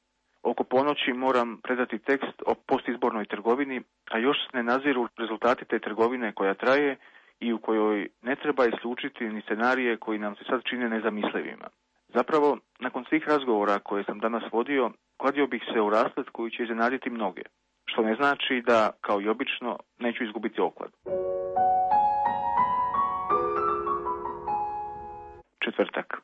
Oko ponoći moram predati tekst o postizbornoj trgovini, a još ne naziru rezultati te trgovine koja traje i u kojoj ne treba isključiti ni scenarije koji nam se sad čine nezamislivima. Zapravo, nakon svih razgovora koje sam danas vodio, kladio bih se u rasplet koji će iznenaditi mnoge, što ne znači da, kao i obično, neću izgubiti oklad. Četvrtak.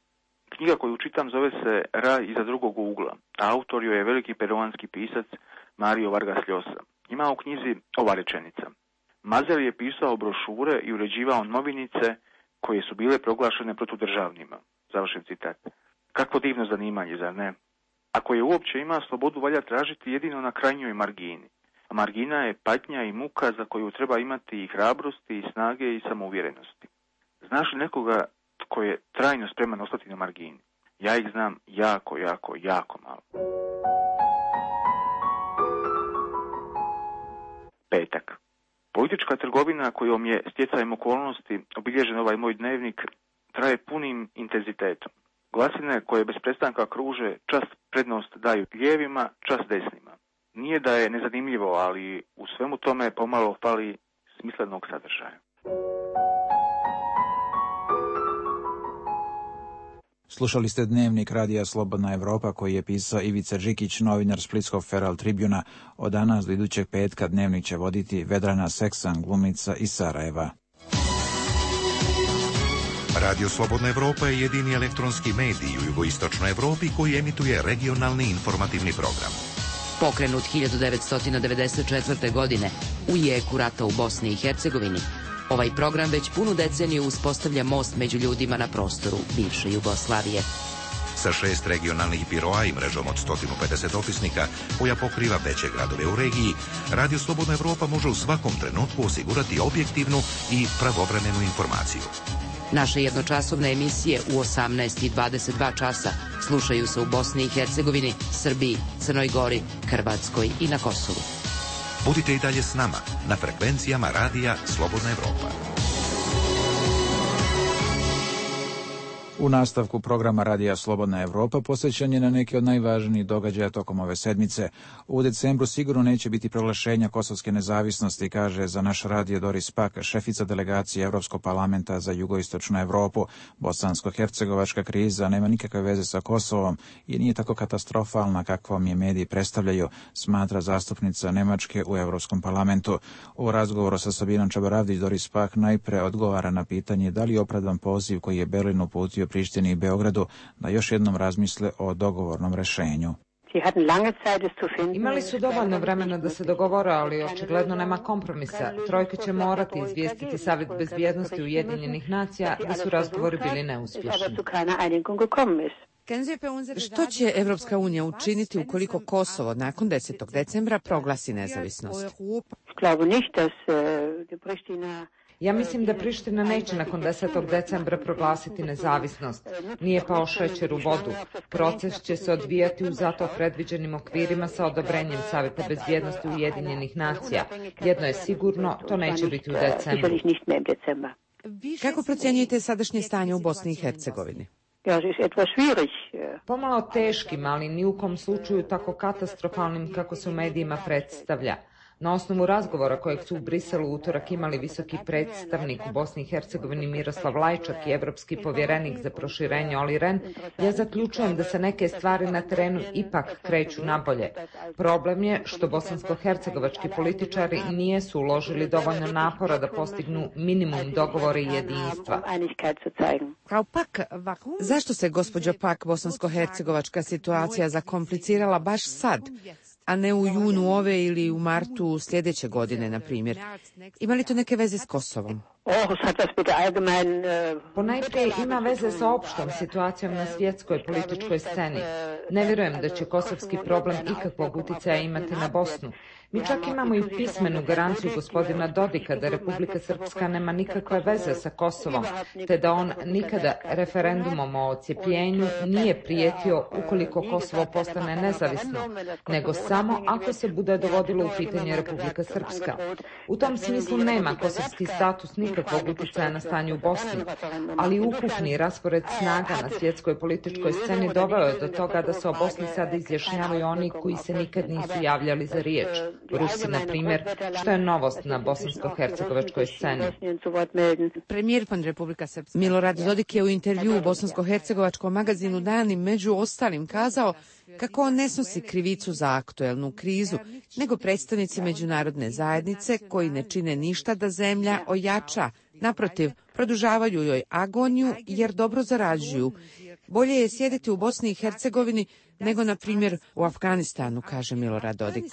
Knjiga koju čitam zove se Raj iza drugog ugla, a autor joj je veliki peruanski pisac Mario Vargas Llosa. Ima u knjizi ova rečenica. Mazel je pisao brošure i uređivao novinice koje su bile proglašene protudržavnima. Završen citat. Kakvo divno zanimanje, zar ne? Ako je uopće ima, slobodu valja tražiti jedino na krajnjoj margini. A margina je patnja i muka za koju treba imati i hrabrosti, i snage, i samouvjerenosti. Znaš li nekoga tko je trajno spreman ostati na margini? Ja ih znam jako, jako, jako malo. Petak. Politička trgovina kojom je stjecajem okolnosti obilježen ovaj moj dnevnik traje punim intenzitetom. Glasine koje bez prestanka kruže čas prednost daju lijevima, čas desnima. Nije da je nezanimljivo, ali u svemu tome pomalo fali smislenog sadržaja. Slušali ste dnevnik Radija Slobodna Evropa koji je pisao Ivica Đikić, novinar Splitskog Feral Tribuna. Od danas do idućeg petka dnevnik će voditi Vedrana Seksan, glumica iz Sarajeva. Radio Slobodna Evropa je jedini elektronski medij u jugoistočnoj Evropi koji emituje regionalni informativni program. Pokrenut hiljadu devetsto devedeset četvrte. godine u jeku rata u Bosni i Hercegovini, ovaj program već punu deceniju uspostavlja most među ljudima na prostoru bivše Jugoslavije. Sa šest regionalnih biroa i mrežom od sto pedeset opisnika koja pokriva veće gradove u regiji, Radio Slobodna Evropa može u svakom trenutku osigurati objektivnu i pravovremenu informaciju. Naše jednočasovne emisije u osamnaest i dvadeset dva časa slušaju se u Bosni i Hercegovini, Srbiji, Crnoj Gori, Hrvatskoj i na Kosovu. Budite i dalje s nama na frekvencijama Radija Slobodna Evropa. U nastavku programa Radija Slobodna Evropa posvećen je na neki od najvažnijih događaja tokom ove sedmice. U decembru sigurno neće biti proglašenja kosovske nezavisnosti, kaže za naš radio Doris Pak, šefica delegacije Evropskog parlamenta za jugoistočnu Evropu. Bosansko-hercegovačka kriza nema nikakve veze sa Kosovom i nije tako katastrofalna kakvom je mediji predstavljaju, smatra zastupnica Nemačke u Evropskom parlamentu. U razgovoru sa Sabinom Čabaravdić Doris Pak najpre odgovara na pitanje da li je opravdan poziv koji je Berlin uputio Prištini i Beogradu da još jednom razmisle o dogovornom rešenju. Imali su dovoljno vremena da se dogovore, ali očigledno nema kompromisa. Trojka će morati izvijestiti Savjet bezbjednosti Ujedinjenih nacija da su razgovori bili neuspješni. Što će Evropska unija učiniti ukoliko Kosovo nakon desetog decembra proglasi nezavisnost? Ja mislim da Priština neće nakon desetog decembra proglasiti nezavisnost. Nije pao šećer u vodu. Proces će se odvijati u zato predviđenim okvirima sa odobrenjem Savjeta bezbjednosti Ujedinjenih nacija. Jedno je sigurno, to neće biti u decembru. Kako procjenjujete sadašnje stanje u Bosni i Hercegovini? Pomalo teškim, ali ni u kom slučaju tako katastrofalnim kako se u medijima predstavlja. Na osnovu razgovora kojeg su u Briselu utorak imali visoki predstavnik u Bosni i Hercegovini Miroslav Lajčak i evropski povjerenik za proširenje Olli Rehn, ja zaključujem da se neke stvari na terenu ipak kreću nabolje. Problem je što bosansko-hercegovački političari nijesu uložili dovoljno napora da postignu minimum dogovora i jedinstva. Zašto se, gospođo Pak, bosansko-hercegovačka situacija zakomplicirala baš sad, a ne u junu ove ili u martu sljedeće godine, na primjer? Ima li to neke veze s Kosovom? Ponajprije ima veze sa opštom situacijom na svjetskoj političkoj sceni. Ne vjerujem da će kosovski problem ikakvog uticaja imati na Bosnu. Mi čak imamo i pismenu garanciju gospodina Dodika da Republika Srpska nema nikakve veze sa Kosovom, te da on nikada referendumom o odcijepljenju nije prijetio ukoliko Kosovo postane nezavisno, nego samo ako se bude dovodilo u pitanje Republika Srpska. U tom smislu nema kosovski status nikakvog uticaja na stanje u Bosni, ali ukupni raspored snaga na svjetskoj političkoj sceni doveo je do toga da se o Bosni sada izjašnjavaju oni koji se nikad nisu javljali za riječ. Rusi, na primjer, što je novost na bosansko-hercegovačkoj sceni. Premijer pan Republika Srpska Milorad Dodik je u intervju u bosansko-hercegovačkom magazinu Dani među ostalim kazao kako on ne snosi krivicu za aktuelnu krizu, nego predstavnici međunarodne zajednice koji ne čine ništa da zemlja ojača. Naprotiv, produžavaju joj agoniju jer dobro zarađuju. Bolje je sjediti u Bosni i Hercegovini nego, na primjer, u Afganistanu, kaže Milorad Dodik.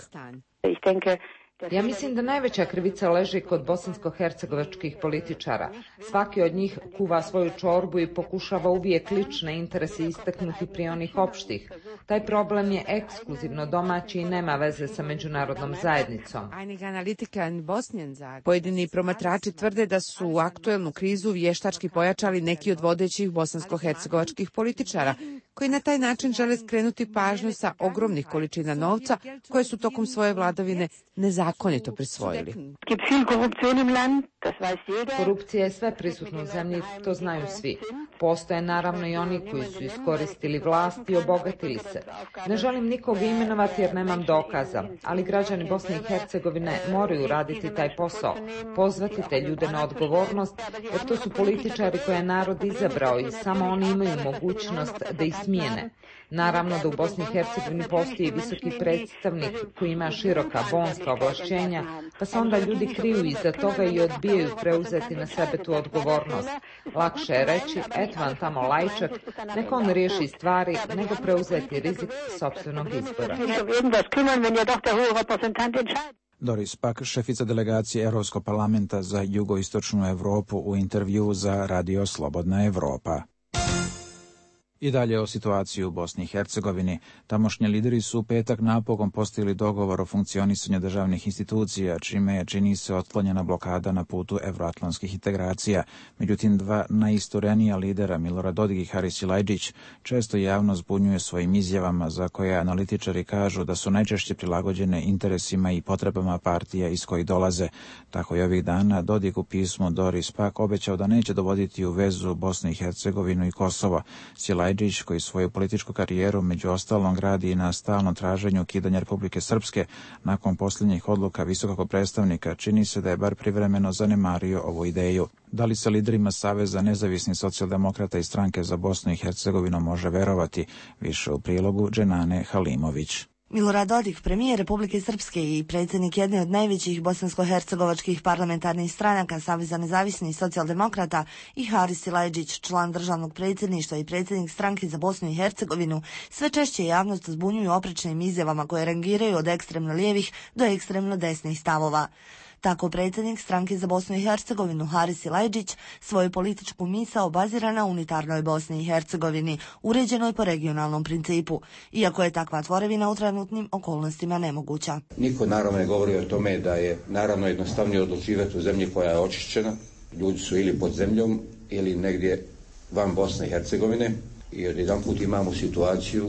Ja mislim da najveća krivica leži kod bosansko-hercegovačkih političara. Svaki od njih kuva svoju čorbu i pokušava uvijek lične interese istaknuti prije onih opštih. Taj problem je ekskluzivno domaći i nema veze sa međunarodnom zajednicom. Pojedini promatrači tvrde da su u aktuelnu krizu vještački pojačali neki od vodećih bosansko-hercegovačkih političara, koji na taj način žele skrenuti pažnju sa ogromnih količina novca koje su tokom svoje vladavine nezakonito prisvojili. Korupcija je sve prisutna u zemlji, to znaju svi. Postoje naravno i oni koji su iskoristili vlast i obogatili se. Ne želim nikoga imenovati jer nemam dokaza, ali građani Bosne i Hercegovine moraju raditi taj posao, pozvati te ljude na odgovornost, jer to su političari koje je narod izabrao i samo oni imaju mogućnost da ih smijene. Naravno da u Bosni i Hercegovini postoji visoki predstavnik koji ima široka bonska ovlašćenja, pa se onda ljudi kriju iza toga i odbijaju preuzeti na sebe tu odgovornost. Lakše je reći, eto vam tamo Lajčak, neka on riješi stvari, nego preuzeti rizik sopstvenog izbora. Doris Pak, šefica delegacije Europskog parlamenta za jugoistočnu Europu, u intervju za Radio Slobodna Evropa. I dalje o situaciji u Bosni i Hercegovini. Tamošnji lideri su u petak napokon postigli dogovor o funkcionisanju državnih institucija, čime je, čini se, otklonjena blokada na putu evroatlantskih integracija. Međutim, dva najisturenija lidera, Milorad Dodik i Haris Silajdžić, često javno zbunjuje svojim izjavama za koje analitičari kažu da su najčešće prilagođene interesima i potrebama partija iz kojih dolaze. Tako je ovih dana Dodik u pismu Doris Pak obećao da neće dovoditi u vezu Bosnu i Hercegovinu i Kosovo. Silajdžić, koji svoju političku karijeru među ostalom gradi i na stalnom traženju ukidanja Republike Srpske, nakon posljednjih odluka visokog predstavnika, čini se da je bar privremeno zanemario ovu ideju. Da li se liderima Saveza nezavisnih socijaldemokrata i stranke za Bosnu i Hercegovinu može verovati? Više u prilogu Dženane Halimović. Milorad Dodik, premijer Republike Srpske i predsjednik jedne od najvećih bosansko-hercegovačkih parlamentarnih stranaka Saveza nezavisnih socijaldemokrata, i Haris Silajdžić, član državnog predsjedništva i predsjednik stranke za Bosnu i Hercegovinu, sve češće javnost zbunjuju oprečnim izjavama koje rangiraju od ekstremno lijevih do ekstremno desnih stavova. Tako predsjednik stranke za Bosnu i Hercegovinu Haris Silajdžić svoju političku misao bazira na unitarnoj Bosni i Hercegovini, uređenoj po regionalnom principu, iako je takva tvorevina u trenutnim okolnostima nemoguća. Niko naravno ne govori o tome da je naravno jednostavnije odlučivati u zemlji koja je očišćena, ljudi su ili pod zemljom ili negdje van Bosne i Hercegovine, i odjedanput imamo situaciju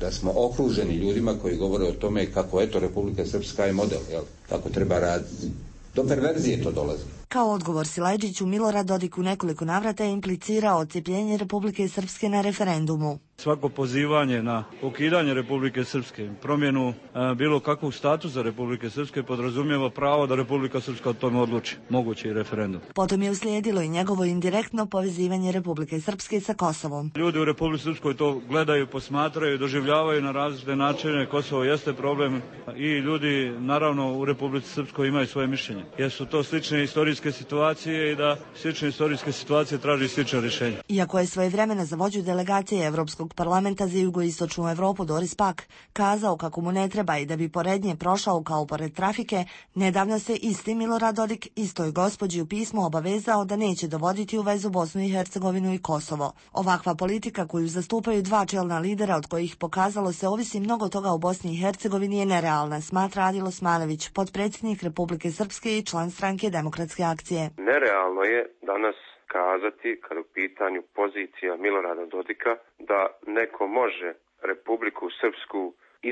da smo okruženi ljudima koji govore o tome kako eto Republika Srpska je model, jel? Kako treba raditi. Do perverzije to dolazi. Kao odgovor Silajdžiću, Milorad Dodik u nekoliko navrata je implicirao odcjepljenje Republike Srpske na referendumu. Svako pozivanje na ukidanje Republike Srpske, promjenu e, bilo kakvog statusa Republike Srpske podrazumijeva pravo da Republika Srpska o tome odluči, mogući i referendum. Potom je uslijedilo i njegovo indirektno povezivanje Republike Srpske sa Kosovom. Ljudi u Republici Srpskoj to gledaju, posmatraju, doživljavaju na različite načine. Kosovo jeste problem i ljudi naravno u Republici Srpskoj imaju svoje mišljenje. Jer su to slične istorijske situacije i da slične istorijske situacije traži slične rješenja. Iako je svojevremeno za vođu delegacije Evropskog parlamenta za jugoistočnu Evropu Doris Pack kazao kako mu ne treba i da bi pored nje prošao kao pored trafike, nedavno se isti Milorad Dodik istoj gospođi u pismu obavezao da neće dovoditi u vezu Bosnu i Hercegovinu i Kosovo. Ovakva politika koju zastupaju dva čelna lidera od kojih pokazalo se ovisi mnogo toga u Bosni i Hercegovini je nerealna, smatra Adil Osmanović, potpredsjednik Republike Srpske i član stranke Demokratske akcije. Nerealno je danas kazati, kada u pitanju pozicija Milorada Dodika, da neko može Republiku Srpsku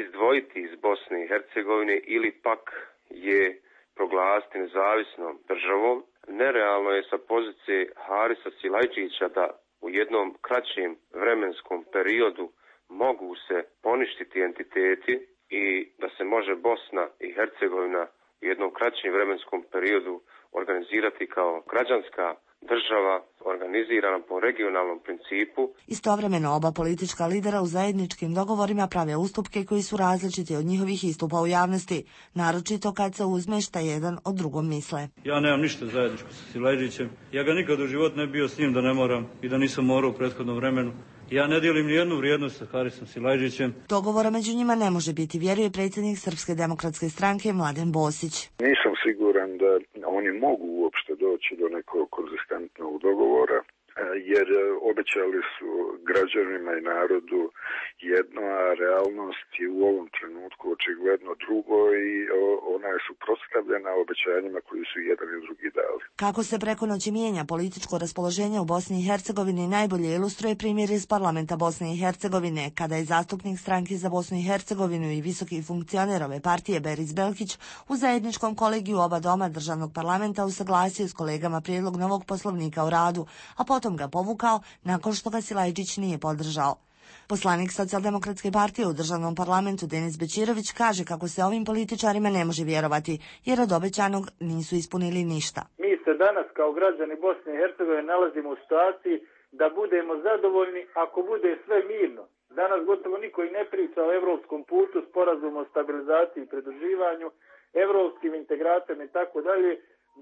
izdvojiti iz Bosne i Hercegovine ili pak je proglasiti nezavisnom državom. Nerealno je sa pozicije Harisa Silajdžića da u jednom kraćem vremenskom periodu mogu se poništiti entiteti i da se može Bosna i Hercegovina u jednom kraćem vremenskom periodu organizirati kao građanska država organizirana po regionalnom principu. Istovremeno oba politička lidera u zajedničkim dogovorima prave ustupke koji su različiti od njihovih istupa u javnosti, naročito kad se uzme šta jedan od drugom misle. Ja nemam ništa zajedničko sa Silajdžićem. Ja ga nikad u životu ne bio s njim da ne moram i da nisam morao u prethodnom vremenu. Ja ne dijelim ni jednu vrijednost sa Harisom Silajdžićem. Dogovora među njima ne može biti, vjeruje predsjednik Srpske demokratske stranke Mladen Bosić. Nisam siguran da oni mogu uopšte doći do nekog konzistentnog dogovora, jer obećali su građanima i narodu jedno, a realnost je u ovom trenutku očigledno drugo i ona je suprotstavljena obećanjima koji su jedan i drugi dali. Kako se preko noći mijenja političko raspoloženje u Bosni i Hercegovini najbolje ilustruje primjer iz parlamenta Bosne i Hercegovine, kada je zastupnik stranke za Bosnu i Hercegovinu i visoki funkcioner ove partije Beris Belkić u zajedničkom kolegiju oba doma državnog parlamenta usaglasio s kolegama prijedlog novog poslovnika o radu, a potom ga povukao nakon što ga Silajdžić nije podržao. Poslanik Socijaldemokratske partije u državnom parlamentu Denis Bećirović kaže kako se ovim političarima ne može vjerovati, jer od obećanog nisu ispunili ništa. Mi se danas kao građani Bosne i Hercegovine nalazimo u situaciji da budemo zadovoljni ako bude sve mirno. Danas gotovo niko i ne priča o evropskom putu, sporazumu o stabilizaciji i pridruživanju, evropskim integracijama i tako dalje.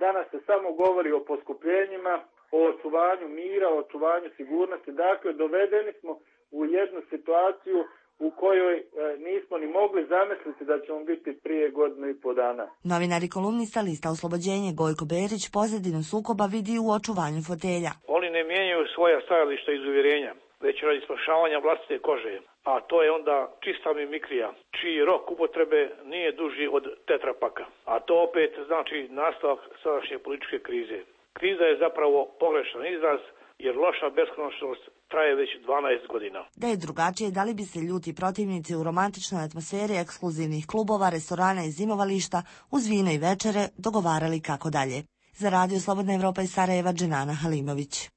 Danas se samo govori o poskupljenjima, o očuvanju mira, o očuvanju sigurnosti. Dakle, dovedeni smo u jednu situaciju u kojoj e, nismo ni mogli zamisliti da ćemo biti prije godinu i po dana. Novinar i kolumnista lista Oslobođenje Gojko Berić pozadinu sukoba vidi u očuvanju fotelja. Oni ne mijenjaju svoja stajališta iz uvjerenja, već radi spašavanja vlastite kože. A to je onda čista mimikrija, čiji rok upotrebe nije duži od tetrapaka. A to opet znači nastavak sadašnje političke krize. Kriza je zapravo pogrešan izraz, jer loša beskonačnost traje već dvanaest godina. Da je drugačije, da li bi se ljuti protivnici u romantičnoj atmosferi ekskluzivnih klubova, restorana i zimovališta uz vino i večere dogovarali kako dalje. Za Radio Slobodna Evropa iz Sarajeva, Dženana Halimović.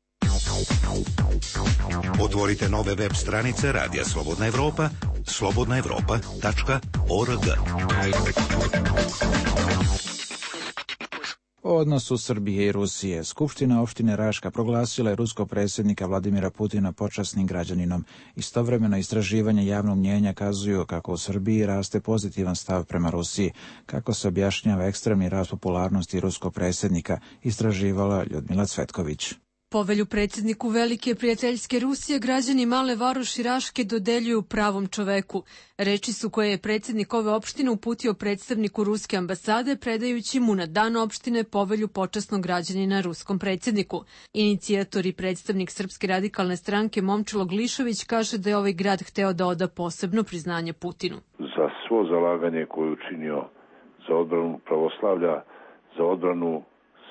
Otvorite nove web stranice Radija Slobodna Evropa, slobodna evropa tačka org. O odnosu Srbije i Rusije, Skupština opštine Raška proglasila je ruskog predsjednika Vladimira Putina počasnim građaninom. Istovremeno istraživanje javnog mnjenja kazuju kako u Srbiji raste pozitivan stav prema Rusiji. Kako se objašnjava ekstremni rast popularnosti ruskog predsjednika, istraživala Ljudmila Cvetković. Povelju predsjedniku Velike prijateljske Rusije građani Male Varoši Raške dodeljuju pravom čoveku. Reči su koje je predsjednik ove opštine uputio predstavniku ruske ambasade, predajući mu na dan opštine povelju počasnog građanina ruskom predsjedniku. Inicijator i predstavnik Srpske radikalne stranke Momčilo Glišović kaže da je ovaj grad hteo da oda posebno priznanje Putinu. Za svo zalaganje koje je učinio za odbranu pravoslavlja, za odbranu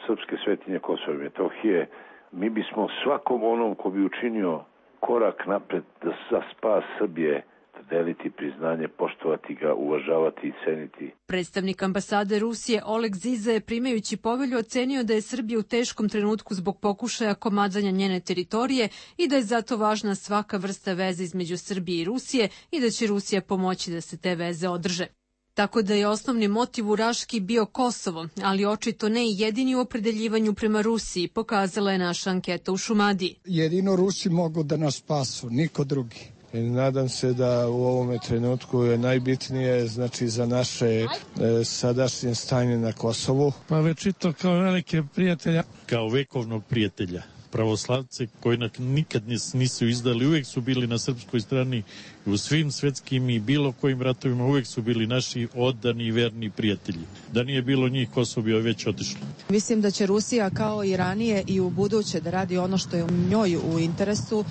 srpske svetinje Kosova i Metohije, mi bismo svakom onom ko bi učinio korak napred da za spas Srbije deliti priznanje, poštovati ga, uvažavati i ceniti. Predstavnik ambasade Rusije Oleg Ziza je primajući povelju ocenio da je Srbija u teškom trenutku zbog pokušaja komadanja njene teritorije i da je zato važna svaka vrsta veze između Srbije i Rusije i da će Rusija pomoći da se te veze održe. Tako da je osnovni motiv u Raški bio Kosovo, ali očito ne i jedini u opredeljivanju prema Rusiji, pokazala je naša anketa u Šumadiji. Jedino Rusi mogu da nas spasu, niko drugi. I nadam se da u ovome trenutku je najbitnije, znači, za naše e, sadašnje stanje na Kosovu. Pa već i to kao velike prijatelja. Kao vekovnog prijatelja. Pravoslavce koji nikad nisu izdali, uvijek su bili na srpskoj strani u svim svetskim i bilo kojim ratovima, uvijek su bili naši odani i verni prijatelji. Da nije bilo njih, Kosovo bi već otišlo. Mislim da će Rusija kao i ranije i u buduće da radi ono što je u njoj u interesu,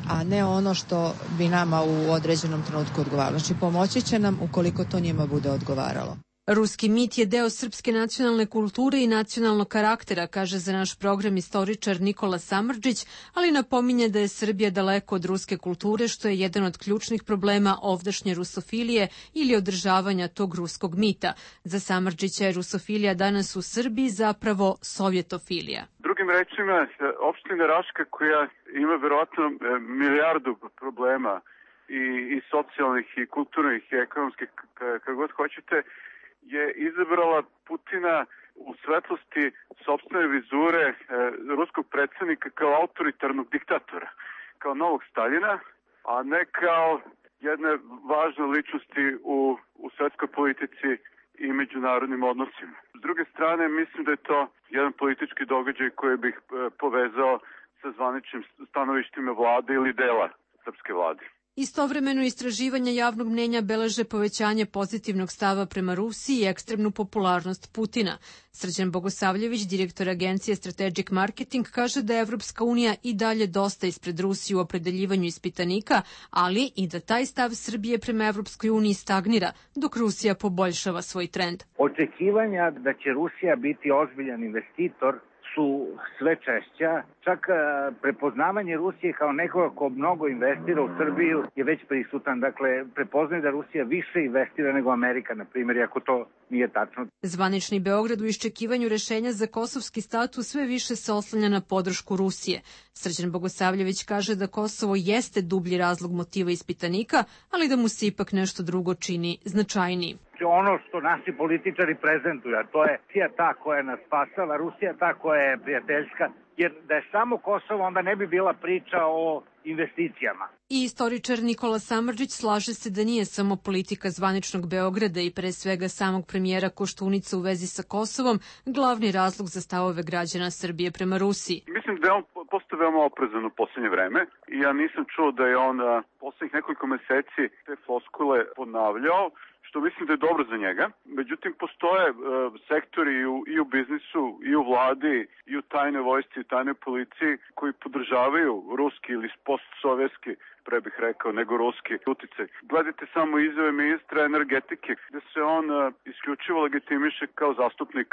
a ne ono što bi nama u određenom trenutku odgovaralo. Znači pomoći će nam ukoliko to njima bude odgovaralo. Ruski mit je deo srpske nacionalne kulture i nacionalnog karaktera, kaže za naš program istoričar Nikola Samardžić, ali napominje da je Srbija daleko od ruske kulture, što je jedan od ključnih problema ovdašnje rusofilije ili održavanja tog ruskog mita. Za Samardžića je rusofilija danas u Srbiji zapravo sovjetofilija. Drugim rečima, opština Raška koja ima verovatno milijardu problema i, i socijalnih i kulturnih i ekonomskih, kako god hoćete, je izabrala Putina u svetlosti sopstvene vizure e, ruskog predsjednika kao autoritarnog diktatora, kao novog Staljina, a ne kao jedne važne ličnosti u, u svetskoj politici i međunarodnim odnosima. S druge strane, mislim da je to jedan politički događaj koji bih e, povezao sa zvaničnim stanovištima vlade ili dela srpske vlade. Istovremeno istraživanja javnog mnjenja beleže povećanje pozitivnog stava prema Rusiji i ekstremnu popularnost Putina. Srđan Bogosavljević, direktor agencije Strategic Marketing, kaže da je Evropska unija i dalje dosta ispred Rusije u opredeljivanju ispitanika, ali i da taj stav Srbije prema Evropskoj uniji stagnira, dok Rusija poboljšava svoj trend. Očekivanja da će Rusija biti ozbiljan investitor su sve češća, čak prepoznavanje Rusije kao nekoga ko mnogo investira u Srbiju je već prisutan, dakle prepoznaje da Rusija više investira nego Amerika, na primjer, iako to nije tačno. Zvanični Beograd u iščekivanju rešenja za kosovski status sve više se oslanja na podršku Rusije. Srđan Bogosavljević kaže da Kosovo jeste dublji razlog motiva ispitanika, ali da mu se ipak nešto drugo čini značajniji. Ono što naši političari prezentuju, a to je Rusija ta koja nas spasava, Rusija ta koja je prijateljska, jer da je samo Kosovo, onda ne bi bila priča o investicijama. I istoričar Nikola Samardžić slaže se da nije samo politika zvaničnog Beograda i pre svega samog premijera Koštunica u vezi sa Kosovom glavni razlog za stavove građana Srbije prema Rusiji. Mislim da je on postao veoma oprezan u posljednje vreme i ja nisam čuo da je on poslednjih nekoliko meseci te floskule ponavljao, što mislim da je dobro za njega. Međutim, postoje e, sektori i u, i u biznisu, i u vladi, i u tajnoj vojsci, i u tajnoj policiji koji podržavaju ruski ili postsovjetski, pre bih rekao, nego ruski uticaj. Gledajte samo izjave ministra energetike, gde se on e, isključivo legitimiše kao zastupnik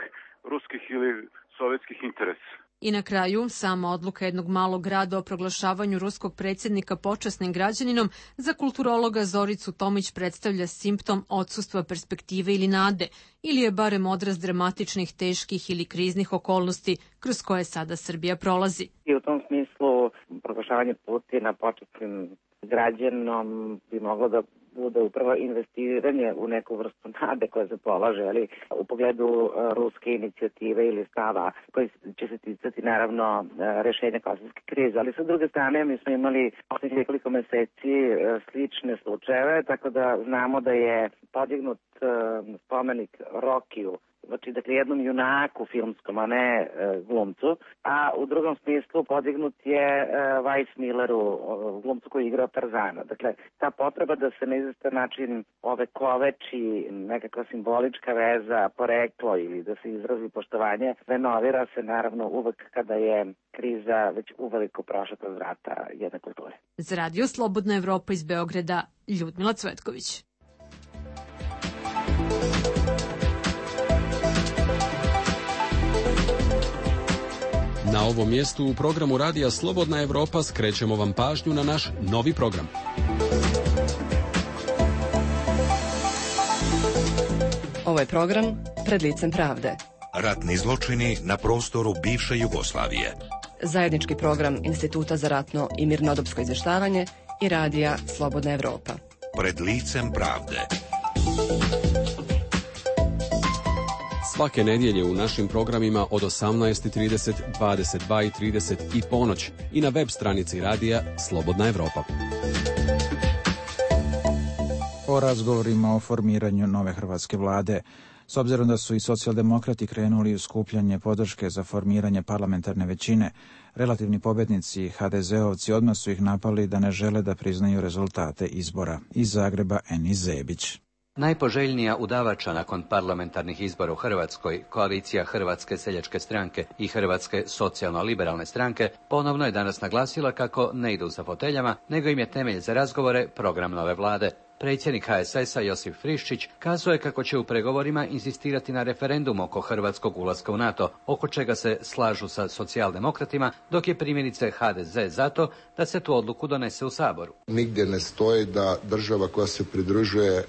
ruskih ili sovjetskih interesa. I na kraju, sama odluka jednog malog grada o proglašavanju ruskog predsjednika počasnim građaninom za kulturologa Zoricu Tomić predstavlja simptom odsustva perspektive ili nade, ili je barem odraz dramatičnih, teških ili kriznih okolnosti kroz koje sada Srbija prolazi. I u tom smislu proglašavanje Putina počasnim građanom bi moglo da bude upravo investiranje u neku vrstu nade koja se polaže, ali u pogledu uh, ruske inicijative ili stava koji će se ticati naravno uh, rešenja kosovske krize. Ali sa druge strane mi smo imali poslednjih nekoliko meseci uh, slične slučajeve, tako da znamo da je podignut uh, spomenik Rokiju, znači dakle jednom junaku filmskom, a ne e, glumcu, a u drugom smislu podignut je e, Weiss Milleru, glumcu koji igra Tarzana. Dakle, ta potreba da se na izvestan način ove koveči nekakva simbolička veza, poreklo ili da se izrazi poštovanje, renovira se naravno uvek kada je kriza već uveliko prošla kroz vrata jedne kulture. Za Radio Slobodna Evropa iz Beograda, Ljudmila Cvetković. Na ovom mjestu u programu Radija Slobodna Evropa skrećemo vam pažnju na naš novi program. Ovo je program Pred licem pravde. Ratni zločini na prostoru bivše Jugoslavije. Zajednički program Instituta za ratno i mirnodopsko izvještavanje i Radija Slobodna Evropa. Pred licem pravde. Svake nedjelje u našim programima od osamnaest i trideset, dvadeset dva i trideset i ponoć i na web stranici Radija Slobodna Evropa. O razgovorima o formiranju nove hrvatske vlade. S obzirom da su i socijaldemokrati krenuli u skupljanje podrške za formiranje parlamentarne većine, relativni pobjednici ha de zeovci odmah su ih napali da ne žele da priznaju rezultate izbora. Iz Zagreba Eni Zebić. Najpoželjnija udavača nakon parlamentarnih izbora u Hrvatskoj, koalicija Hrvatske seljačke stranke i Hrvatske socijalno-liberalne stranke, ponovno je danas naglasila kako ne idu za foteljama, nego im je temelj za razgovore program nove vlade. Predsjednik ha es es a Josip Friščić kazao je kako će u pregovorima insistirati na referendum oko hrvatskog ulaska u NATO, oko čega se slažu sa socijaldemokratima, dok je primjerice ha de ze zato da se tu odluku donese u Saboru. Nigdje ne stoji da država koja se pridružuje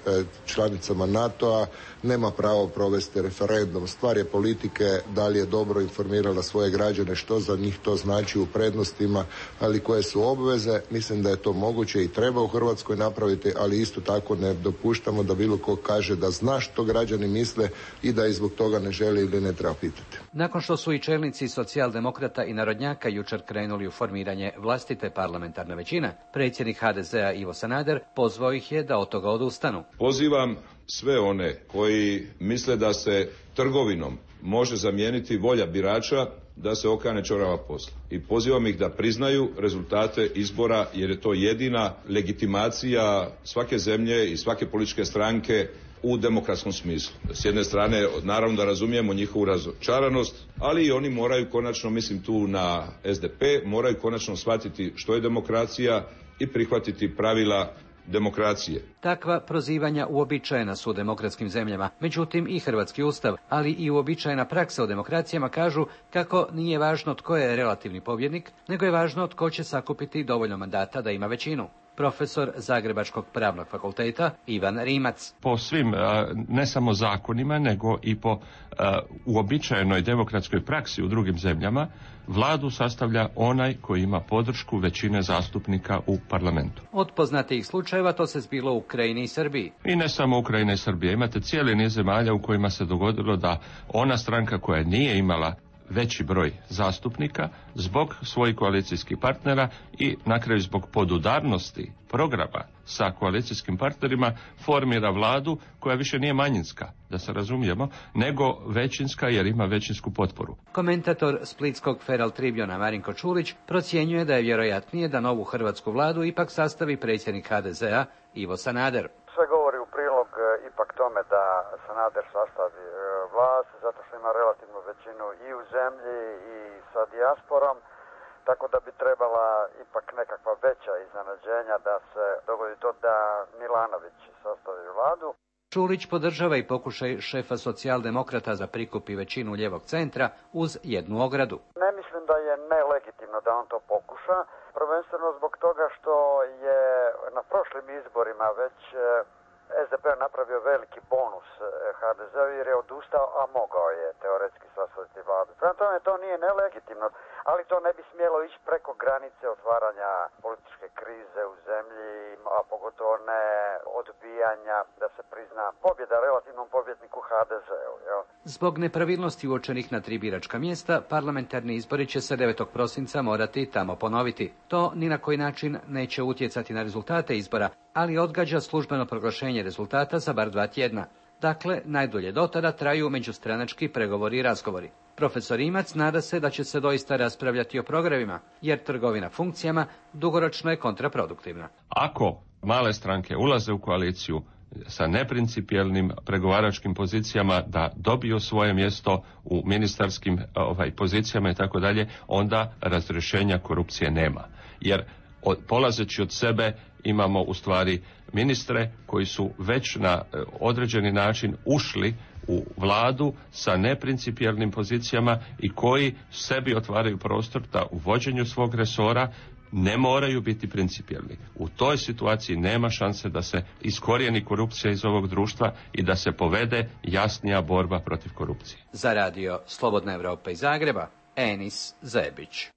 članicama NATO-a nema pravo provesti referendum. Stvar je politike da li je dobro informirala svoje građane što za njih to znači u prednostima, ali koje su obveze. Mislim da je to moguće i treba u Hrvatskoj napraviti, ali isto tako ne dopuštamo da bilo ko kaže da zna što građani misle i da i zbog toga ne želi ili ne treba pitati. Nakon što su i čelnici socijaldemokrata i narodnjaka jučer krenuli u formiranje vlastite parlamentarne većine, predsjednik ha de ze a Ivo Sanader pozvao ih je da od toga odustanu. Pozivam sve one koji misle da se trgovinom može zamijeniti volja birača da se okane čorava posla. I pozivam ih da priznaju rezultate izbora jer je to jedina legitimacija svake zemlje i svake političke stranke u demokratskom smislu. S jedne strane, naravno da razumijemo njihovu razočaranost, ali i oni moraju konačno, mislim tu na es de pe, moraju konačno shvatiti što je demokracija i prihvatiti pravila demokracije. Takva prozivanja uobičajena su u demokratskim zemljama, međutim i hrvatski ustav, ali i uobičajena praksa u demokracijama kažu kako nije važno tko je relativni pobjednik, nego je važno tko će sakupiti dovoljno mandata da ima većinu. Profesor Zagrebačkog pravnog fakulteta Ivan Rimac. Po svim, ne samo zakonima, nego i po uobičajenoj demokratskoj praksi u drugim zemljama, vladu sastavlja onaj koji ima podršku većine zastupnika u parlamentu. Od poznatijih slučajeva to se zbilo u Ukrajini i Srbiji. I ne samo Ukrajina i Srbija. Imate cijeli niz zemalja u kojima se dogodilo da ona stranka koja nije imala veći broj zastupnika zbog svojih koalicijskih partnera i na kraju zbog podudarnosti programa sa koalicijskim partnerima formira vladu koja više nije manjinska, da se razumijemo, nego većinska jer ima većinsku potporu. Komentator splitskog Feral Tribuna Marinko Čulić procjenjuje da je vjerojatnije da novu hrvatsku vladu ipak sastavi predsjednik ha de ze a Ivo Sanader. Sve govori u prilog ipak tome da Sanader sastavi vlast, zato što ima relativnu većinu i u zemlji i sa dijasporom, tako da bi trebala ipak nekakva veća iznenađenja da se dogodi to da Milanović sastavi vladu. Čulić podržava i pokušaj šefa socijaldemokrata za prikupi većinu lijevog centra uz jednu ogradu. Ne mislim da je nelegitimno da on to pokuša, prvenstveno zbog toga što je na prošlim izborima već es de pe napravio veliki bonus ha de ze jer je odustao, a mogao je teoretski sastaviti vladu. Prema tome to nije nelegitimno, ali to ne bi smjelo ići preko granice otvaranja političke krize u zemlji, a pogotovo ne odbijanja da se prizna pobjeda relativnom pobjedniku ha de zeu. Jel? Zbog nepravilnosti uočenih na tri biračka mjesta, parlamentarni izbori će se devetog prosinca morati tamo ponoviti. To ni na koji način neće utjecati na rezultate izbora, ali odgađa službeno proglašenje rezultata za bar dva tjedna. Dakle, najdulje do tada traju međustranački pregovori i razgovori. Profesor Rimac nada se da će se doista raspravljati o programima, jer trgovina funkcijama dugoročno je kontraproduktivna. Ako male stranke ulaze u koaliciju sa neprincipijelnim pregovaračkim pozicijama da dobiju svoje mjesto u ministarskim ovaj, pozicijama i tako dalje, onda razrješenja korupcije nema. Jer od, polazeći od sebe imamo u stvari ministre koji su već na određeni način ušli u vladu sa neprincipijelnim pozicijama i koji sebi otvaraju prostor da u vođenju svog resora ne moraju biti principijelni. U toj situaciji nema šanse da se iskorijeni korupcija iz ovog društva i da se povede jasnija borba protiv korupcije. Za radio Slobodna Evropa iz Zagreba, Enis Zebić.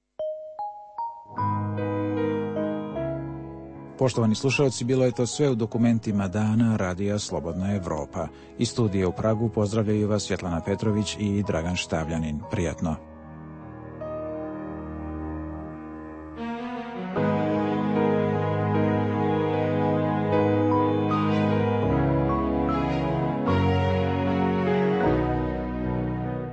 Poštovani slušalci, bilo je to sve u dokumentima dana Radija Slobodna Evropa. Iz studija u Pragu pozdravljaju vas Svjetlana Petrović i Dragan Štavljanin. Prijatno.